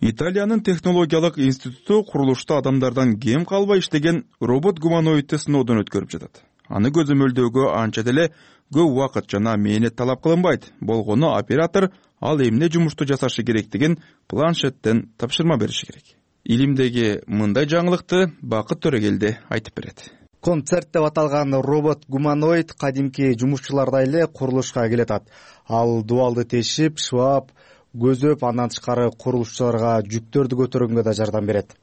Италиянын технологиялык институту курулушта адамдардан кем калбай иштеген робот-гуманоидти сыноодон өткөрүп жатат. Аны көзөмөлдөөгө анча деле көп убакыт жана мээнет талап кылынбайт. Болгону оператор ал эмне жумушту жасашы керектигин планшеттен тапшырма бериши керек. Илимдеги мындай жаңылыкты Бакыт Төрөгелди айтып берет. Концерт деп аталган робот-гуманоид кадимки жумушчулардай эле курулушка келатат. Ал дубалды тешип, шыбап, көзөп, андан тышкары курулушчуларга жүктөрдү көтөргөнгө да жардам берет.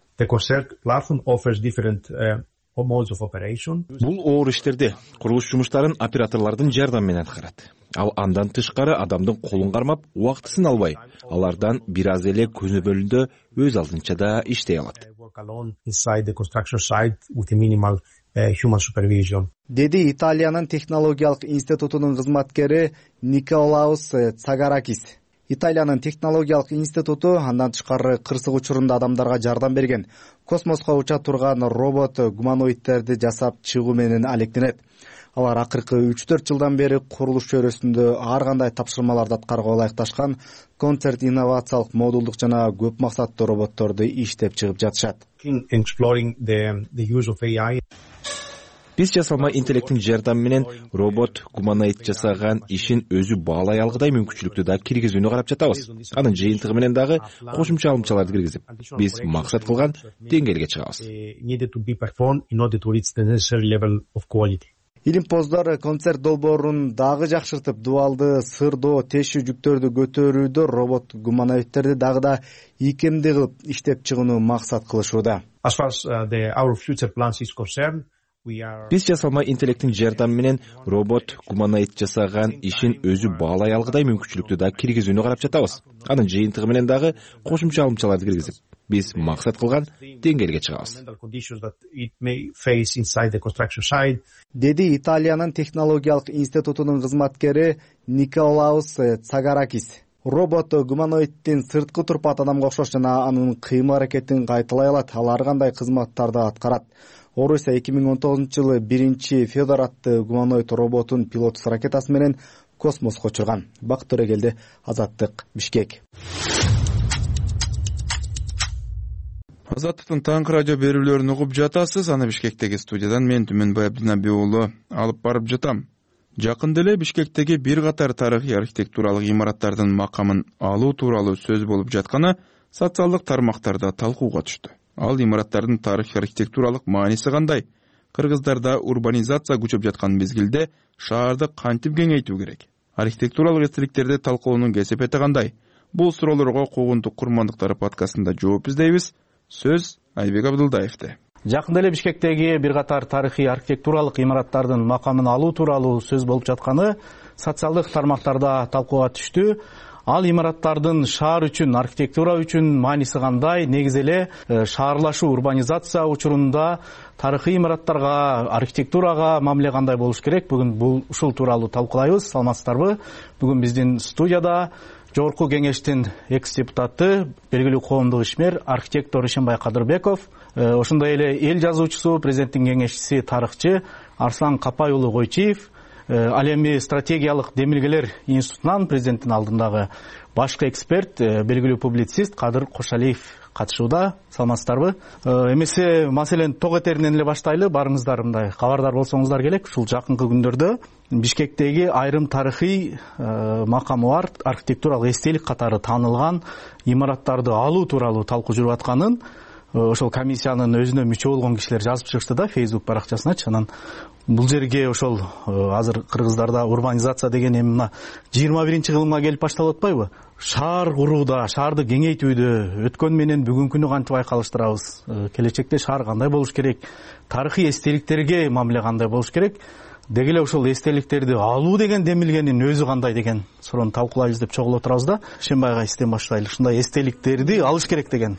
Бул оор иштерди курулуш жумуштарын операторлордун жардамы менен аткарат. Ал андан тышкары адамдын колун кармап, убактысын албай, алардан бир аз эле көзөмөлүндө өз алдынча да иштей алат. Деди Италиянын технологиялык институтунун кызматкери Николаус Цагаракис. Италиянын технологиялык институту андан тышкары кырсык учурунда адамдарга жардам берген космоско уча турган робот гуманоидтерди жасап чыгуу менен алектенет. Алар акыркы үч төрт жылдан бери курулуш чөйрөсүндө ар кандай тапшырмаларды аткарууга ылайыкташкан концерт инновациялык модулдук жана көп максаттуу роботторду иштеп чыгып жатышат. Биз жасалма интеллекттин жардамы менен робот гуманоид жасаган ишин өзү баалай алгыдай мүмкүнчүлүктү да киргизүүнү карап жатабыз. Анын жыйынтыгы менен дагы кошумча алымчаларды киргизип, биз максат кылган деңгээлге чыгабыз. Илимпоздор концерт долбоорун дагы жакшыртып, дуалды сырдоо, тешүү жүктөрдү көтөрүүдө робот гуманоидтерди дагы да ийкемдүү кылып иштеп чыгууну максат кылышууда. Биз жасалма интеллекттин жардамы менен робот гуманоид жасаган ишин өзү баалай алгыдай мүмкүнчүлүктү да киргизүүнү карап жатабыз. Анын жыйынтыгы менен дагы кошумча алымчаларды киргизип, биз максат кылган деңгээлге чыгабыз. Деди Италиянын технологиялык институтунун кызматкери Николаус Цагаракис. Робот гуманоиддин сырткы турпат адамга окшош жана анын кыймыл-аракетин кайталай алат. Ал ар кандай кызматтарды аткарат. Орусия эки миң он тогузунчу жылы биринчи Федор аттуу гуманоид роботун пилотсуз ракетасы менен космоско учурган. Бакыт Төрөгелди, Азаттык, Бишкек. Азаттыктын таңкы радио берүүлөрүн угуп жатасыз. Аны Бишкектеги студиядан мен Түмөнбай Абдынаби уулу алып барып жатам. Жакында эле Бишкектеги бир катар тарыхый архитектуралык имараттардын макамын алуу тууралуу сөз болуп жатканы социалдык тармактарда талкууга түштү. Ал имараттардын тарыхый архитектуралык мааниси кандай? Кыргыздарда урбанизация күчөп жаткан мезгилде шаарды кантип кеңейтүү керек? Архитектуралык эстеликтерди талкуулоонун кесепети кандай? Бул суроолорго Куугунтук курмандыктары подкастында жооп издейбиз. Сөз Айбек Абдылдаевде. Жакында эле Бишкектеги бир катар тарыхый архитектуралык имараттардын макамын алуу тууралуу сөз болуп жатканы социалдык тармактарда талкууга түштү. Ал имараттардын шаар үчүн, архитектура үчүн мааниси кандай? Негизи эле шаарлашуу, урбанизация учурунда тарыхый имараттарга, архитектурага мамиле кандай болуш керек? Бүгүн бул ушул тууралуу талкуулайбыз. Саламатсыздарбы? Бүгүн биздин студияда Жогорку кеңештин экс-депутаты, белгилүү коомдук ишмер, архитектор Ишенбай Кадырбеков, ошондой эле эл жазуучусу, президенттин кеңешчиси, тарыхчы Арслан Капай уулу Койчиев, ал эми стратегиялык демилгелер институтунан президенттин алдындагы башкы эксперт, белгилүү публицист Кадыр Кошалиев катышууда. Саламатсыздарбы? Эмесе маселени ток этеринен эле баштайлы. Барыңыздар мындай кабардар болсоңуздар керек. Ушул жакынкы күндөрдө Бишкектеги айрым тарыхый макамы бар, архитектуралык эстелик катары таанылган имараттарды алуу тууралуу талкуу жүрүп атканын ошол комиссиянын өзүнө мүчө болгон кишилер жазып чыгышты да Facebook баракчасыначы. Анан бул жерге ошол азыр кыргыздарда урбанизация деген эми мына жыйырма биринчи кылымга келип башталып атпайбы? Шаар курууда, шаарды кеңейтүүдө өткөн менен бүгүнкүнү кантип айкалыштырабыз? Келечекте шаар кандай болуш керек? Тарыхый эстеликтерге мамиле кандай болуш керек? Деги эле ошол эстеликтерди алуу деген демилгенин өзү кандай деген суроону талкуулайбыз деп чогулуп отурабыз да. Шембайга истен баштайлы. Ушундай эстеликтерди алыш керек деген.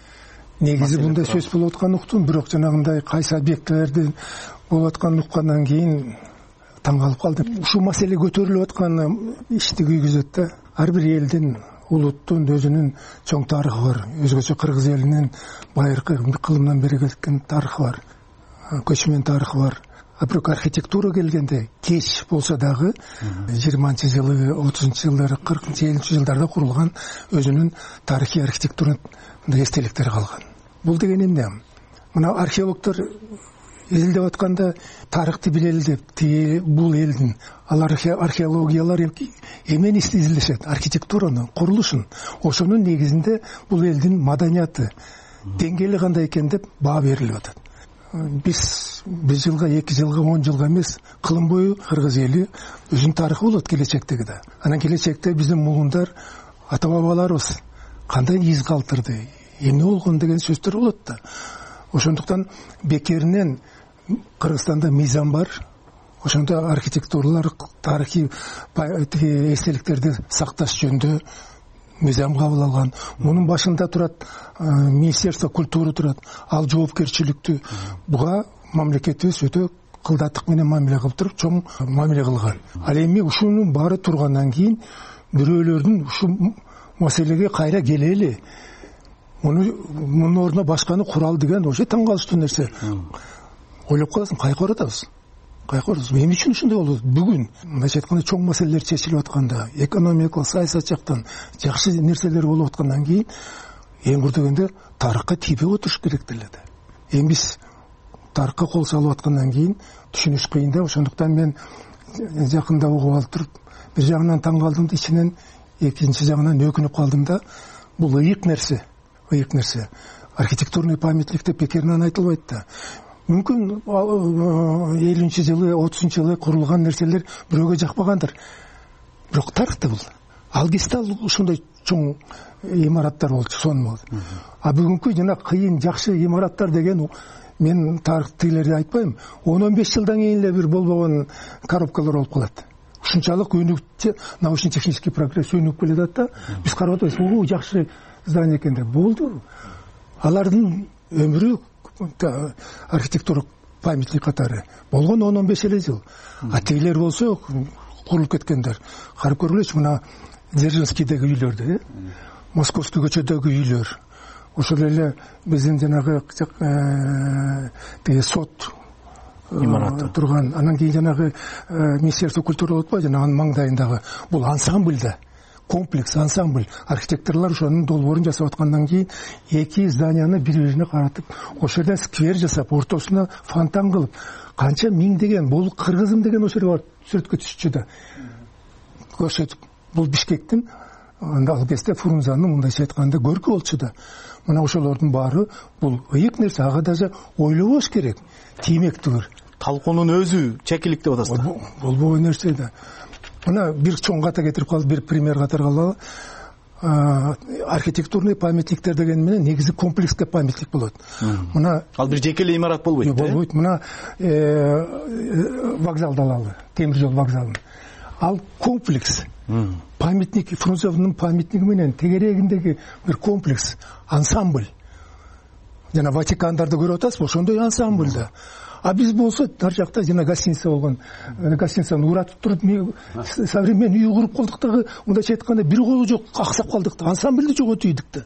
Негизи мындай сөз болуп атканын уктум, бирок жанагындай кайсы объектилерди болуп атканын уккандан кийин таң калып калдым. Ушул маселе көтөрүлүп аткан ишти күйгүзөт да. Ар бир элдин, улуттун өзүнүн чоң тарыхы бар. Өзгөчө кыргыз элинин байыркы кылымдан бери кеткен тарыхы бар. Көчмөн тарыхы бар. А бирок архитектура келгенде кеч болсо дагы жыйырманчы жылы, отузунчу жылдары, кыркынчы, элүүнчү жылдарда курулган өзүнүн тарыхый архитектура эстеликтери калган. Бул деген эмне? Мына археологдор изилдеп атканда тарыхты билели деп, бул элдин алар археологиялар эмени изилдешет? Архитектураны, курулушун. Ошонун негизинде бул элдин маданияты, деңгээли кандай экен деп баа берилип атат. Биз бир жылга, эки жылга, он жылга эмес, кылым бою кыргыз эли өзүнүн тарыхы болот келечектеги да. Анан келечекте биздин муундар, ата бабаларыбыз кандай из калтырды, эмне болгон деген сөздөр болот да. Ошондуктан бекеринен Кыргызстанда мыйзам бар. Ошондо архитектуралар, тарыхый эстеликтерди сакташ жөнүндө мыйзам кабыл алган. Мунун башында турат Министерство культуры турат. Ал жоопкерчиликтүү буга мамлекетибиз өтө кылдаттык менен мамиле кылып туруп, чоң мамиле кылган. Ал эми ушунун баары тургандан кийин бирөөлөрдүн ушу маселеге кайра келели, муну мунун ордуна башканы куралы деген вообще таң калыштуу нерсе. Ойлоп каласың, кайка баратабыз. Кайка барабыз. Эмне үчүн ушундай болот? Бүгүн мындайча айтканда чоң маселелер чечилип атканда, экономикалык, саясат жактан жакшы нерселер болуп аткандан кийин эң куру дегенде тарыхка тийбей отуруш керек деле да. Эми биз тарыхка кол салып аткандан кийин түшүнүш кыйын да. Ошондуктан мен жакында угуп алып туруп, бир жагынан таң калдым да, ичинен экинчи жагынан өкүнүп калдым да. Бул ыйык нерсе, ыйык нерсе. Архитектурный памятник деп бекеринен айтылбайт да. Мүмкүн элүүнчү жылы, отузунчу жылы курулган нерселер бирөөгө жакпагандыр. Бирок тарыхта бул. Ал кезде ал ушундай чоң имараттар болчу, сон болду. А бүгүнкү жана кыйын жакшы имараттар деген мен тарыхтыйлерди айтпайм. он он беш жылдан кийин эле бир болбогон коробкалар болуп калат. Ушунчалык өнүкчү научно-технический прогресс өнүгүп келатат да. Биз карап атабыз, бул жакшы здание экен деп. Болду. Алардын өмүрү архитектура памятник катары болгон он он беш эле жыл. А тигилер болсо курулуп кеткендер. Карап көргүлөчү, мына Дзержинскийдеги үйлөрдү, э? Московский көчөдөгү үйлөр. Ошол эле биздин жанагы тиги сот имараты турган, анан кийин жанагы Министерство культуры болуп атпайбы, жана анын маңдайындагы бул ансамбль да, комплекс ансамбль. Архитекторлор ошонун долбоорун жасап аткандан кийин эки зданияны бири-бирине каратып, ошол жерде сквер жасап, ортосуна фонтан кылып, канча миңдеген, бул кыргызым деген ошол жерге барып сүрөткө түшчү да. Көрсөтүп, бул Бишкектин анда ал кезде Фрунзенин мындайча айтканда көркү болчу да. Мына ошолордун баары бул ыйык нерсе, ага даже ойлобош керек. Тиймек түгүр. Талкуунун өзү чекилик деп атасыз. Болбогон нерсе да. Мына бир чоң ката кетирип калып, бир пример катаргалабы. Архитектурный памятниктер деген менен негизи комплекске памятник болот. Мына ал бир жеке эле имарат болбойт. Болбойт. Мына вокзалды алалы, темир жол вокзалын. Ал комплекс. Памятник, Фрунзенин памятниги менен тегерегиндеги бир комплекс, ансамбль. Жана Ватикандарды көрүп атасызбы, ошондой ансамбль да. А биз болсо ар жакта жана гостиница болгон, гостиницаны уратып туруп, современный үй куруп калдык дагы, мындайча айтканда бир колу жок, аксап калдык да, ансамбльди жоготуйдук да.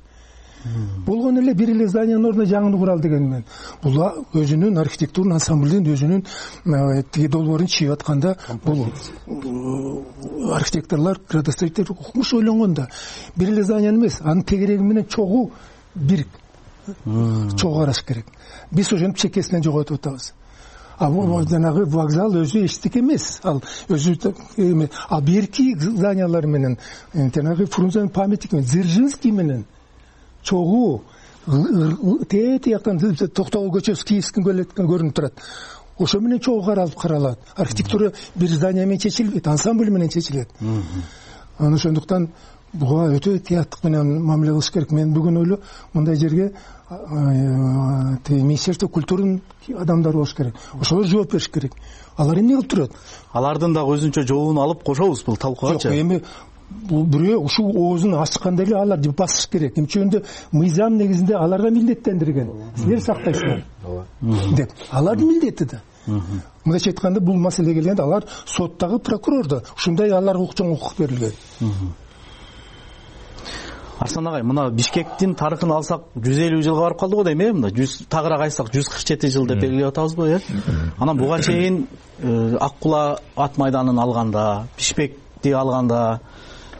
Болгон эле бир эле зданиянын ордуна жаңыны курал деген менен. Бул өзүнүн архитектурный ансамблдин өзүнүн тиги долбоорун чийип атканда, бул архитекторлор, градостроитель укмуш ойлонгон да. Бир эле зданияны эмес, анын тегереги менен чогуу бир чогуу караш керек. Биз ошентип чекесинен жоготуп атабыз. А бул жанагы вокзал өзү эчтеке эмес. Ал өзү эме, а берки зданиялар менен жанагы Фрунзенин памятники менен, Дзержинский менен чогуу тээ тияктан Токтогул көчөсү Киевский келеткен көрүнүп турат. Ошо менен чогуу каралып каралат. Архитектура бир здания менен чечилбейт, ансамбль менен чечилет. Анан ошондуктан буга өтө тияттык менен мамиле кылыш керек. Мен бүгүн ойло мындай жерге Министерство культурунун адамдары болуш керек. Ошолор жооп бериш керек. Алар эмне кылып турат? Алардын дагы өзүнчө жообун алып кошобуз бул талкуугачы. Жок, эми бул бирөө ушул оозун ачканда эле алар басыш керек. Эмчегенде мыйзам негизинде аларга милдеттендирген. Силер сактайсыңар деп. Алардын милдети да. Мындайча айтканда бул маселе келгенде алар соттагы прокурор да ушундай аларга чоң укук берилген. Арслан агай, мына Бишкектин тарыхын алсак жүз элүү жылга барып калды го дейм, э? Мына жүз тагыраак айтсак жүз кырк жети жыл деп белгилеп атабызбы, э? Анан буга чейин Ак Кула ат майданын алганда, Бишкекти алганда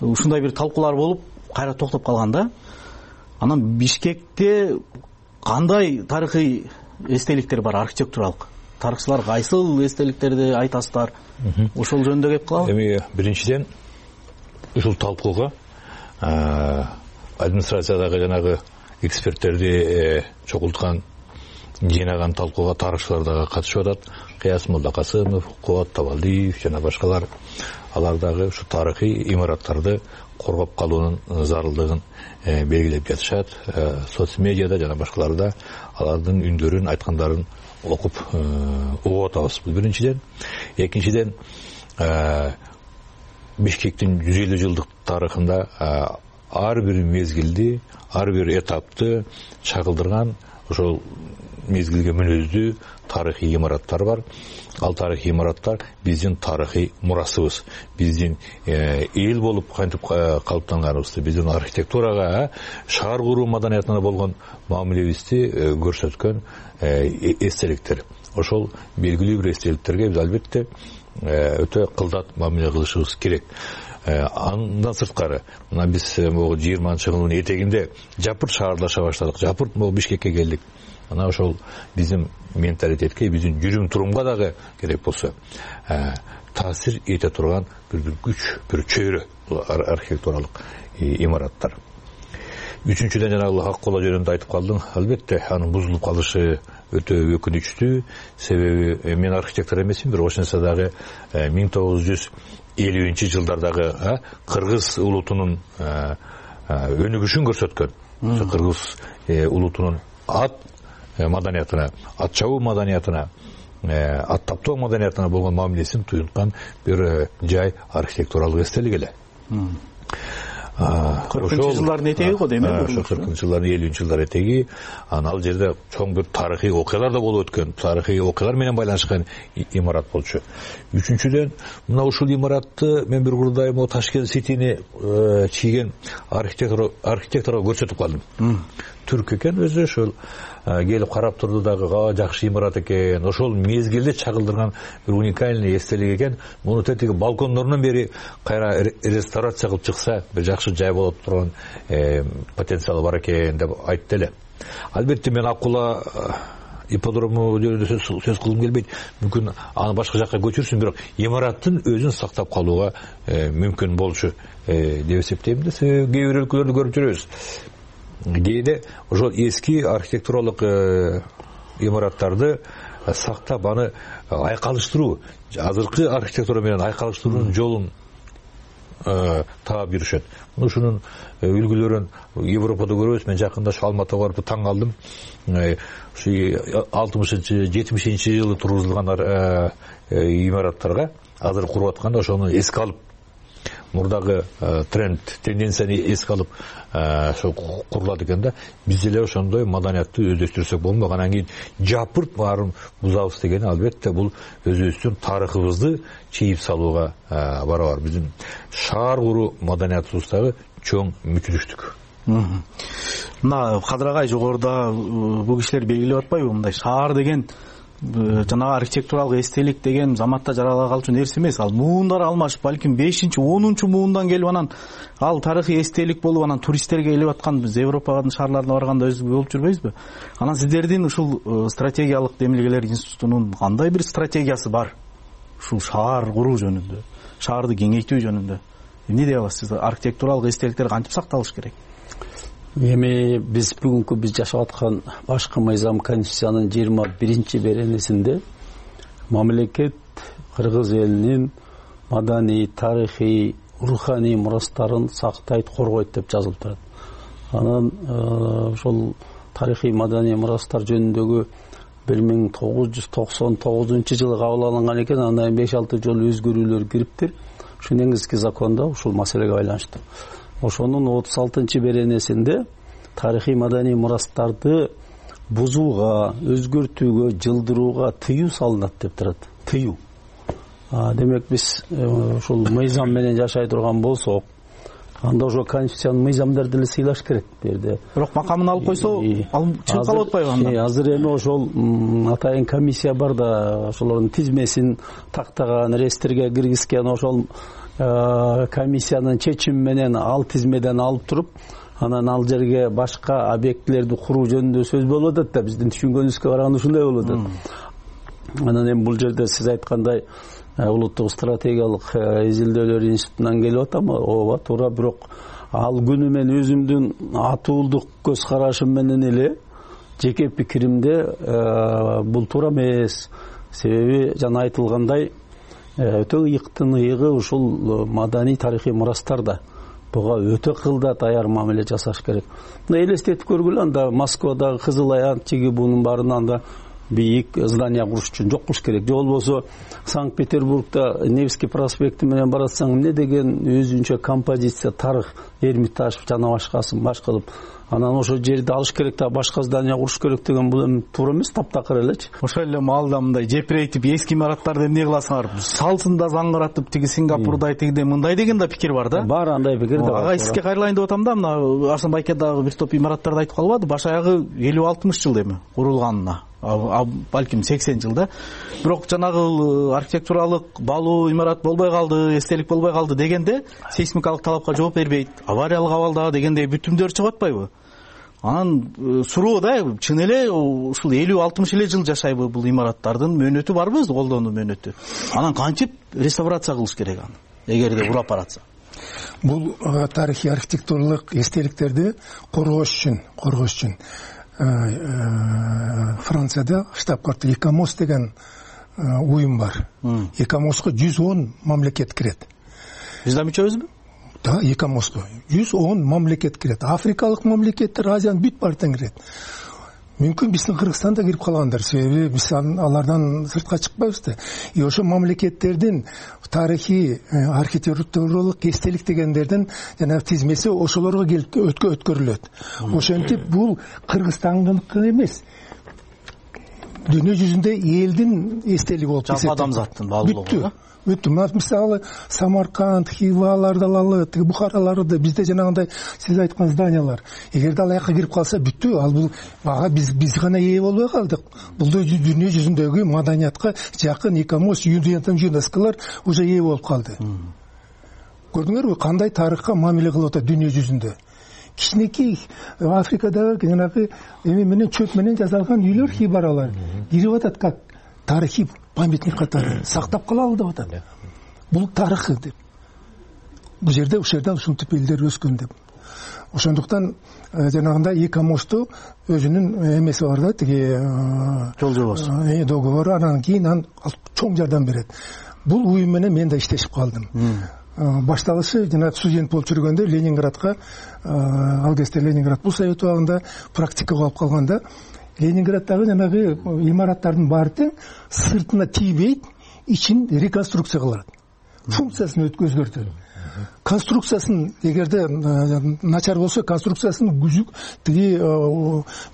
ушундай бир талкуулар болуп, кайра токтоп калган да. Анан Бишкекте кандай тарыхый эстеликтер бар, архитектуралык? Тарыхчылар кайсыл эстеликтерди айтасыздар? Ошол жөнүндө кеп калабы? Эми биринчиден ушул талкууга администрациядагы жанагы эксперттерди чогулткан, жыйнаган талкууга тарыхчылар дагы катышып атат. Кыяс Молдокасымов, Кубат Табалдиев жана башкалар. Алар дагы ушу тарыхый имараттарды коргоп калуунун зарылдыгын белгилеп жатышат. Соц медиада жана башкаларда алардын үндөрүн, айткандарын окуп угуп атабыз. Бул биринчиден. Экинчиден, Бишкектин жүз элүү жылдык тарыхында ар бир мезгилди, ар бир этапты чагылдырган ошол мезгилге мүнөздүү тарыхый имараттар бар. Ал тарыхый имараттар биздин тарыхый мурасыбыз, биздин эл болуп кантип калыптанганыбызды, биздин архитектурага, шаар куруу маданиятына болгон мамилебизди көрсөткөн эстеликтер. Ошол белгилүү бир эстеликтерге биз албетте өтө кылдат мамиле кылышыбыз керек. Андан сырткары, мына биз могу жыйырманчы жылдын этегинде жапырт шаарлаша баштадык, жапырт могу Бишкекке келдик. Ана ошол биздин менталитетке, биздин жүрүм турумга дагы керек болсо таасир эте турган бир бир күч, бир чөйрө архитектуралык имараттар. Үчүнчүдөн жанагы ак кола жөнүндө айтып калдым. Албетте анын бузулуп калышы өтө өкүнүчтүү. Себеби мен архитектор эмесмин, бирок ошентсе дагы миң тогуз жүз элүүнчү жылдардагы кыргыз улутунун өнүгүшүн көрсөткөн. Кыргыз улутунун ат маданиятына, ат чабуу маданиятына, ат таптоо маданиятына болгон мамилесин туюнткан бир жай архитектуралык эстелик эле. кыркынчы жылдардын этеги го дейм э. Ошо кыркынчы жылдардын элүүнчү жылдар этеги. Анан ал жерде чоң бир тарыхый окуялар да болуп өткөн, тарыхый окуялар менен байланышкан имарат болчу. Үчүнчүдөн, мына ушул имаратты мен бир курдайым о Ташкент Ситини чийген архитектор архитекторго көрсөтүп калдым. Түрк экен өзү, ошол келип карап турду дагы, га жакшы имарат экен. Ошол мезгилде чагылдырган бир уникальный эстелик экен. Муну тетиги балкондорунан бери кайра реставрация кылып чыкса, бир жакшы жай болот турган потенциалы бар экен деп айтты эле. Албетте мен Аккула ипподрому жөнүндө сөз кылгым келбейт. Мүмкүн аны башка жакка көчүрсүн, бирок имараттын өзүн сактап калууга мүмкүн болчу деп эсептейм да. Кээ бир өлкөлөрдү көрүп жүрөбүз. Кээде ошол эски архитектуралык имараттарды сактап аны айкалыштыруу, азыркы архитектура менен айкалыштыруунун жолун таап жүрүшөт. Ушунун үлгүлөрүн Европада көрөбүз. Мен жакында ушу Алматыга барып таң калдым. Ушу алтымышынчы жетимишинчи жылы тургузулган имараттарга азыр куруп атканда ошону эске алып, мурдагы тренд, тенденцияны эске алып ошо курулат экен да. Биз эле ошондой маданиятты өздөштүрсөк болмок. Анан кийин жапырт баарын бузабыз дегени албетте бул өзүбүздүн тарыхыбызды чийип салууга барабар. Биздин шаар куруу маданиятыбыздагы чоң мүчүлүштүк. Мына Кадыр агай жогоруда бул кишилер белгилеп атпайбы, мындай шаар деген жанагы архитектуралык эстелик деген заматта жарала калчу нерсе эмес. Ал муундар алмашып, балким бешинчи онунчу муундан келип анан ал тарыхый эстелик болуп, анан туристтерге келип аткан, биз Европанын шаарларына барганда өзүбүз болуп жүрбөйбүзбү? Анан сиздердин ушул стратегиялык демилгелер институтунун кандай бир стратегиясы бар ушул шаар куруу жөнүндө, шаарды кеңейтүү жөнүндө? Эмне дей аласыз? Архитектуралык эстеликтер кантип сакталыш керек? Эми биз бүгүнкү биз жашап аткан башкы мыйзам конституциянын жыйырма биринчи беренесинде мамлекет кыргыз элинин маданий, тарыхый, руханий мурастарын сактайт, коргойт деп жазылып турат. Анан ошол тарыхый маданий мурастар жөнүндөгү бир миң тогуз жүз токсон тогузунчу жылы кабыл алынган экен. Андан беш алты жолу өзгөрүүлөр кириптир. Ушу негизги закондо ушул маселеге байланыштуу. Ошонун отуз алтынчы беренесинде тарыхый маданий мурастарды бузууга, өзгөртүүгө, жылдырууга тыюу салынат деп турат. Тыюу. Демек биз ушул мыйзам менен жашай турган болсок, анда ошо конституциянын мыйзамдарды эле сыйлаш керек берде. Бирок макамын алып койсо, ал чыгып калып атпайбы анда? Азыр эми ошол атайын комиссия бар да, ошолордун тизмесин тактаган, реестрге киргизген, ошол комиссиянын чечими менен ал тизмеден алып туруп, анан ал жерге башка объектилерди куруу жөнүндө сөз болуп атат да, биздин түшүнгөнүбүзгө караганда ушундай болуп атат. Анан эми бул жерде сиз айткандай улуттук стратегиялык изилдөөлөр институтунан келип атам, ооба туура, бирок ал күнү мен өзүмдүн атуулдук көз карашым менен эле жеке пикиримде бул туура эмес. Себеби жана айтылгандай өтө ыйыктын ыйыгы ушул маданий тарыхый мурастарда. Буга өтө кылдат аяр мамиле жасаш керек. Мына элестетип көргүлө, анда Москвадагы Кызыл Аян, Чиги буунун баарында анда бийик здание куруш үчүн жок кылыш керек. Же болбосо Санкт Петербургда Невский проспекти менен баратсаң эмне деген өзүнчө композиция, тарых, Эрмитаж жана башкасын баш кылып, анан ошол жерди алыш керек да башка здание куруш керек деген бул эми туура эмес, таптакыр элечи. Ошол эле маалда мындай жепирейтип эски имараттарды эмне кыласыңар? Салсын да заңгыратып, тиги Сингапурдай тигиде мындай деген да пикир бар да. Бар, андай пикир да бар. Ага сизге кайрылайын деп атам да, мына Арсын Байке дагы бир топ имараттарды айтып калбады, баш аягы элүү алтымыш жыл эми курулганына. Балким сексен жылда. Бирок жанагы архитектуралык баалуу имарат болбой калды, эстелик болбой калды дегенде сейсмикалык талапка жооп бербейт, авариялык абалда дегендей бүтүмдөр чыгып атпайбы? Анан суроо да, чын эле ушул элүү алтымыш эле жыл жашайбы бул имараттардын мөөнөтү барбы, колдонуу мөөнөтү? Анан кантип реставрация кылыш керек аны, эгерде урап баратса? Бул тарыхый архитектуралык эстеликтерди коргош үчүн, коргош үчүн Францияда штаб-квартир ИКОМОС деген уюм бар. ИКОМОСко жүз он мамлекет кирет. Биз да мүчөбүзбү? Да, ИКОМОСко жүз он мамлекет кирет. Африкалык мамлекеттер, Азиянын бүт баардыгына кирет. Мүмкүн биздин Кыргызстан да кирип калгандыр, себеби биз алардан сыртка чыкпайбыз да. И ошо мамлекеттердин тарыхый архитектуралык эстелик дегендердин жана тизмеси ошолорго келип өткөрүлөт. Ошентип бул Кыргызстандыкы эмес, дүйнө жүзүндө элдин эстелиги болуп эсептелет. Жалпы адамзаттын баалуулугу. Бүттү. Мисалы Самарканд, Хиваларды алалы, тиги Бухараларды, бизде жанагындай сиз айткан зданиялар. Эгерде ал жака кирип калса бүттү. Ал бул ага биз биз гана ээ болбой калдык. Бул дүйнө жүзүндөгү маданиятка жакын ИКОМОС, ЮНЕСКОлор уже ээ болуп калды. Көрдүңөрбү кандай тарыхка мамиле кылып атат дүйнө жүзүндө? Кичинекей Африкадагы жанагы эми менен чөп менен жасалган үйлөр, хибаралар кирип атат, как тарыхый памятник катары сактап калалы деп атат. Бул тарыхы деп. Бул жерде ушул жерде ушинтип элдер өскөн деп. Ошондуктан жанагындай ИКОМОСту өзүнүн эмеси бар да, тиги жол жобосу, договору, анан кийин ан чоң жардам берет. Бул уюм менен мен да иштешип калдым. Башталышы жанагы студент болуп жүргөндө Ленинградка, ал кезде Ленинград бул совет убагында практика болуп калганда, Ленинградтагы жанагы имараттардын баары сыртына тийбейт, ичин реконструкция кылат. Функциясын өзгөртөт. Конструкциясын эгерде начар болсо, конструкциясын күзүк тиги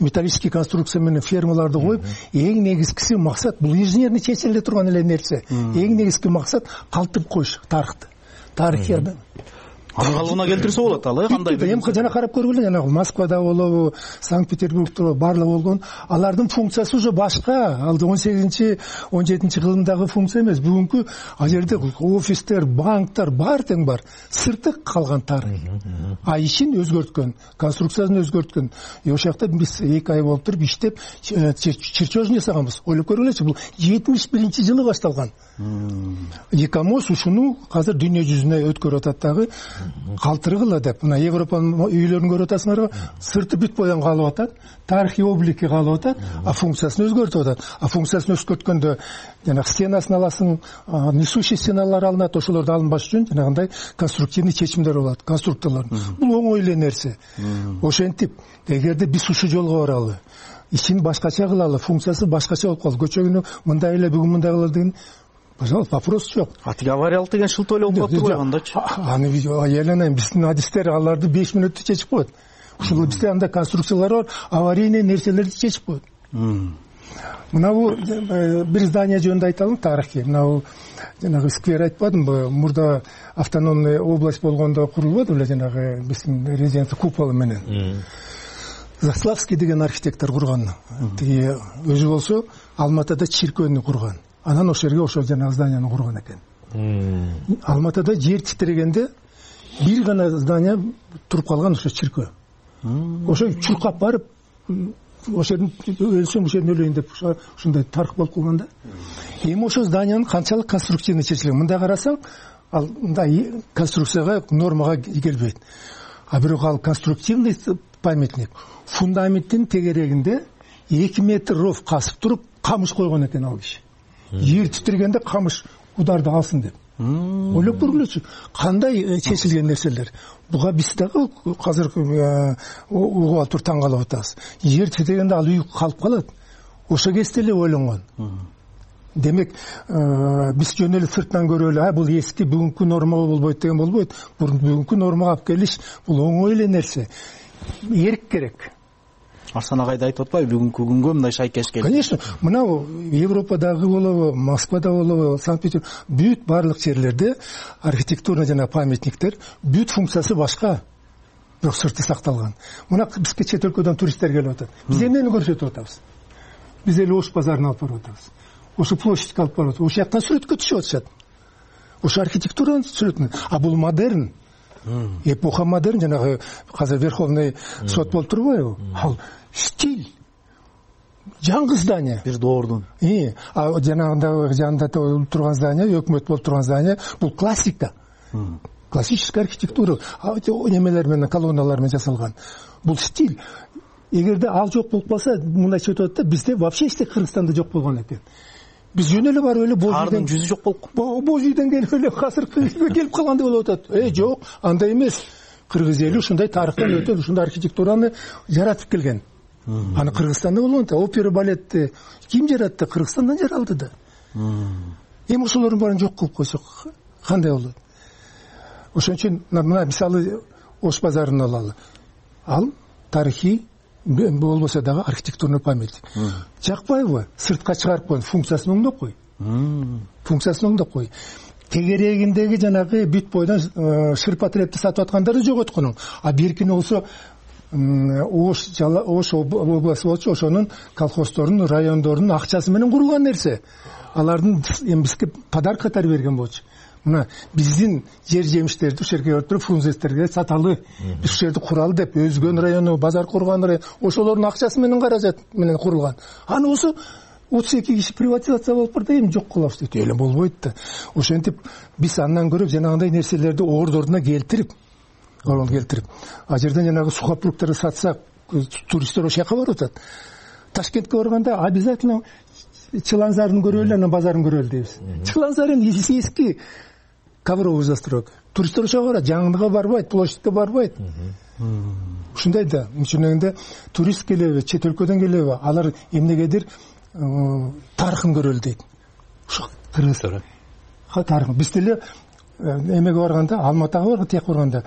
металлический конструкция менен фермаларды коюп, эң негизгиси максат бул инженерный чечиле турган эле нерсе. Эң негизги максат калтырып коюш тарыхты. Тарыхты калыбына келтирсе болот ал, э, кандай? Эми жана карап көргүлө, жана Москвада болобу, Санкт-Петербургда баарлыгы болгон, алардын функциясы уже башка. Ал он сегизинчи он жетинчи кылымдагы функция эмес. Бүгүнкү ал жерде офистер, банктар бар тең бар. Сырты калган тарых. А ишин өзгөрткөн, конструкциясын өзгөрткөн. И ошол жакта биз эки ай болуп туруп иштеп чертеж жасаганбыз. Ойлоп көргүлөчү, бул жетимиш биринчи жылы башталган. ИКОМОС ушуну азыр дүйнө жүзүнө өткөрүп атат дагы. Калтыргыла деп, мына Европанын үйлөрүн көрүп атасыңарбы? Сырты бүт боян калып атат, тарыхый облики калып атат, а функциясын өзгөртүп атат. А функциясын өзгөрткөндө жана стенасын аласың, несущий стеналар алынат, ошолорду алынбаш үчүн жанагындай конструктивный чечимдер болот, конструкторлор. Бул оңой эле нерсе. Ошентип, эгерде биз ушул жолго баралы, ичин башкача кылалы, функциясы башкача болуп калды. Көчөгүнү мындай эле, бүгүн мындай кылалы деген пожалуйста, вопрос жок. А тиги авариялык деген шылтоо эле болуп калыптыр го андачы. Аны аяланайын, биздин адистер аларды беш мүнөттө чечип коет. Ушул бизде анда конструкциялар бар, аварийный нерселерди чечип коет. Мына бул бир здание жөнүндө айталым, тарыхый. Мына бул жанагы сквер айтпадымбы? Мурда автономный область болгондо курулбаду беле жанагы биздин резиденция куполу менен. Заславский деген архитектор курган. Тиги өзү болсо Алматыда чиркөөнү курган. Анан ошол жерге ошол жанагы зданияны курган экен. Алматыда жер титирегенде бир гана здание туруп калган, ошо чиркөө. Ошо чуркап барып, ошол жерден өлсөм, ошол жерден өлөйүн деп ушундай тарых болуп калган да. Эми ошол зданиянын канчалык конструктивный чечилген. Мындай карасаң, ал мындай конструкцияга, нормага келбейт. А бирок ал конструктивный памятник. Фундаменттин тегерегинде эки метр ров касып туруп, камыш койгон экен ал киши. Жер титиргенде камыш ударды алсын деп. Ойлоп көргүлөчү, кандай чечилген нерселер. Буга биз дагы азыр угуп туруп таң калып атабыз. Жер титиргенде ал үй калып калат. ошо кезде эле ойлонгон. Демек биз жөн эле сыртынан көрүп эле бул эски бүгүнкү норма болбойт деген болбойт. Бүгүнкү нормага алып келиш бул оңой эле нерсе. Эрк керек. Арслан агай да айтып атпайбы, бүгүнкү күнгө мындай шайкеш келди. Конечно, мына Европадагы болобу, Москвада болобу, Санкт-Петербург, бүт барлык жерлерде архитектура жана памятниктер бүт функциясы башка, бирок сырты сакталган. Мына бизге чет өлкөдөн туристтер келип атат. Биз эмнени көрсөтүп атабыз? Биз эле Ош базарына алып барып атабыз. Ошо площадька алып барып атабыз. Ошол жактан сүрөткө түшүп атышат. Ошо архитектуранын сүрөтүн. А бул модерн. Эпоха модерн, жанагы азыр Верховный сот болуп турбайбы? Ал стиль. Жаңы здание. Бир доордун. И, а жанагында жанында турган здание, өкмөт болуп турган здание, бул классика. Классическая архитектура. Немелер менен, колонналар менен жасалган. Бул стиль. Эгерде ал жок болуп калса, мындайча өтөт да, бизде вообще эч Кыргызстанда жок болгон экен. Биз жөн эле барып эле Божийден жүзү жок болуп, Божийден келип эле азыркы келип калгандай болуп атат. Э, жок, андай эмес. Кыргыз эли ушундай тарыхтан өтөт, ушундай архитектураны жаратып келген. Аны Кыргызстанда болгон да, опера балетти ким жаратты? Кыргызстандан жаралды да. Эми ошолордун баарын жок кылып койсок кандай болот? Ошон үчүн мына мисалы Ош базарын алалы. Ал тарыхый болбосо дагы архитектурный памятник. Жакпайбы? Сыртка чыгарып койгон, функциясын оңдоп кой. Функциясын оңдоп кой. Тегерегиндеги жанагы бүт бойдон шырпа трепти сатып аткандарды жогот кунуң. А беркини болсо Ош Ош областы болчу, ошонун колхоздорунун, райондорунун акчасы менен курулган нерсе. Алардын эми бизге подарок катары берген болчу. Мына биздин жер жемиштерди ушул жерге өтүрүп фрунзестерге саталы. Биз ушул жерди куралы деп Өзгөн району, базар курган район, ошолордун акчасы менен каражат менен курулган. Аны болсо отуз эки киши приватизация болуп барда эми жок кылабыз дейт. Эле болбойт да. Ошентип биз андан көрүп жанагындай нерселерди ордордуна келтирип, ордуна келтирип, а жерден жанагы сухопруктарды сатсак, туристтер ошол жака барып атат. Ташкентке барганда обязательно Чыланзарын көрөлү, анан базарын көрөлү дейбиз. Чыланзарын эски ковровый застройка. Туристтер ошого барат, жаңыныга барбайт, площадька барбайт. Ушундай да, мынча турист келеби, чет өлкөдөн келеби, алар эмнегедир тарыхын көрөлү дейт. Ошо кыргыз тарыхы. Биз деле эмеге барганда, Алматыга барганда, тияк барганда,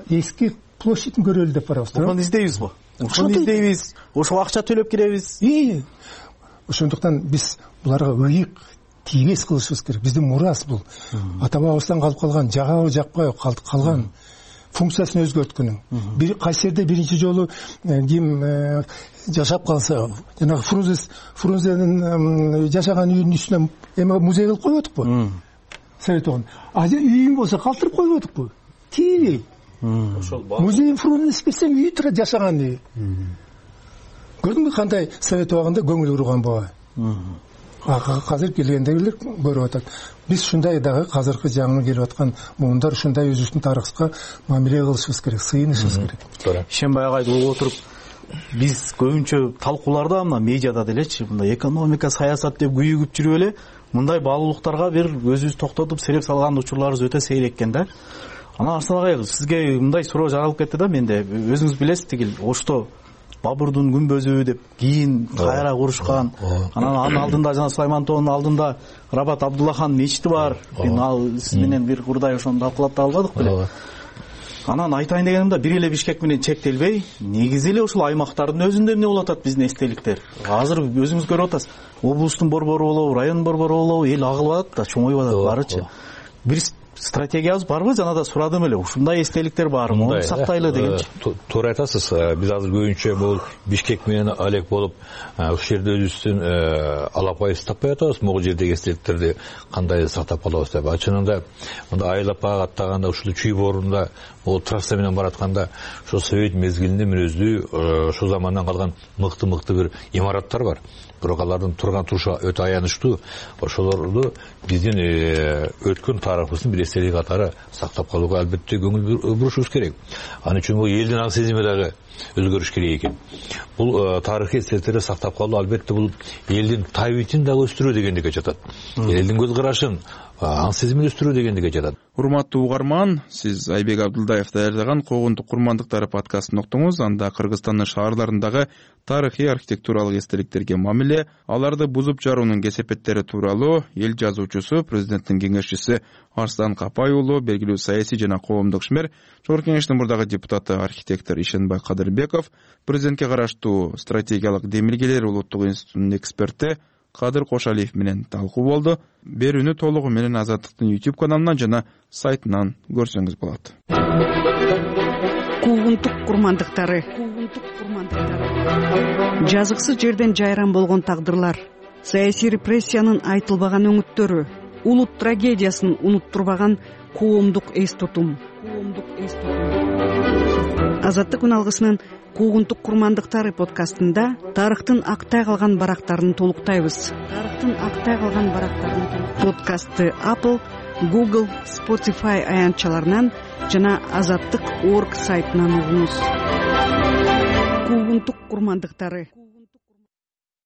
эски площадьын көрөлү деп барабыз. Ошону издейбизби? Ошону издейбиз. Ошого акча төлөп киребиз. И ошондуктан биз буларга ыйык тийбес кылышыбыз керек. Биздин мурас бул. Ата бабабыздан калып калган, жагабы жакпайбы калган функциясын өзгөрткөнүң. Бир кайсы жерде биринчи жолу ким жашап калса, жанагы Фрунзе Фрунзенин жашаган үйүнүн үстүнө эме музей кылып койбодукпу? Совет огон. А үйүң болсо калтырып койбодукпу? Тийбей. Ошол музей Фрунзе берсем үй турат, жашаган үй. Көрдүңбү кандай совет убагында көңүл бурган бага? Азыр келгендегилер көрүп атат. Биз ушундай дагы азыркы жаңы келип аткан муундар ушундай өзүбүздүн тарыхка мамиле кылышыбыз керек, сыйынышыбыз керек. Ишенбай агайды угуп отуруп, биз көбүнчө талкууларда мына медиада делечи, мындай экономика, саясат деп күйүгүп жүрүп эле, мындай баалуулуктарга бир өзүбүз токтотуп сереп салган учурларыбыз өтө сейрек экен да. Анан Арслан агай, сизге мындай суроо жаралып кетти да менде. Өзүңүз билесиз, тигил Ошто Бабурдун күмбөзү деп кийин кайра курушкан. Анан анын алдында жана Сулайман тоонун алдында Рабат Абдуллахан мечити бар. Мен ал сиз менен бир урдай ошону талкуулап да албадык беле. Анан айтайын дегеним да, бир эле Бишкек менен чектелбей, негизи эле ушул аймактардын өзүндө эмне болуп атат биздин эстеликтер. Азыр өзүңүз көрүп атасыз. Облустун борбору болобу, райондун борбору болобу, эл агылып атат да, чоңоюп атат барычы. Бир стратегиябыз барбы? Жана да сурадым эле. Ушундай эстеликтер барбы? Муну сактайлы дегенчи. Туура айтасыз. Биз азыр көбүнчө бул Бишкек менен алек болуп, ушул жерде өзүбүздүн алапайыбызды таппай атабыз. Могу жердеги эстеликтерди кандай сактап калабыз деп. Чынында мында айлап аттаганда ушул чүй боорунда бул трасса менен баратканда ошо совет мезгилинде мүнөздүү ошол замандан калган мыкты-мыкты бир имараттар бар. Бирок алардын турган турушу өтө аянычтуу. Ошолорду биздин өткөн тарыхыбыздын бир эстелик катары сактап калууга албетте көңүл бурушубуз керек. Ал үчүн бул элдин аң сезими дагы өзгөрүш керек экен. Бул тарыхый эстеликтерди сактап калуу албетте бул элдин табитин дагы өстүрүү дегендикке жатат. Элдин көз карашын, аң сезимин өстүрүү дегендикке жатат. урматтуу угарман, сиз Айбек Абдулдаев даярдаган Куугунтук курмандыктары подкастын уктуңуз. Анда Кыргызстандын шаарларындагы тарыхый архитектуралык эстеликтерге мамиле, аларды бузуп жаруунун кесепеттери тууралуу эл жазуучусу, президенттин кеңешчиси Арслан Капай уулу, белгилүү саясий жана коомдук ишмер, Жогорку Кеңештин мурдагы депутаты, архитектор Ишенбай Кадырбеков, президентке караштуу стратегиялык демилгелер улуттук институтунун эксперти Кадыр Кошалиев менен талкуу болду. Берүүнү толугу менен Азаттыктын YouTube каналынан жана сайтынан көрсөңүз болот. Куугунтук курмандыктары. Куугунтук курмандыктары. Жазыксыз жерден жайран болгон тагдырлар, саясий репрессиянын айтылбаган өңүттөрү, улут трагедиясын унуттурбаган коомдук эс тутум. Коомдук эс тутум. Азаттык үн алгысынын Куугунтук курмандыктары подкастында тарыхтын актай калган барактарын толуктайбыз. Тарыхтын актай калган барактарын подкастты Apple, Google, Spotify аянтчаларынан жана азаттык точка орг сайтынан угуңуз. Куугунтук курмандыктары.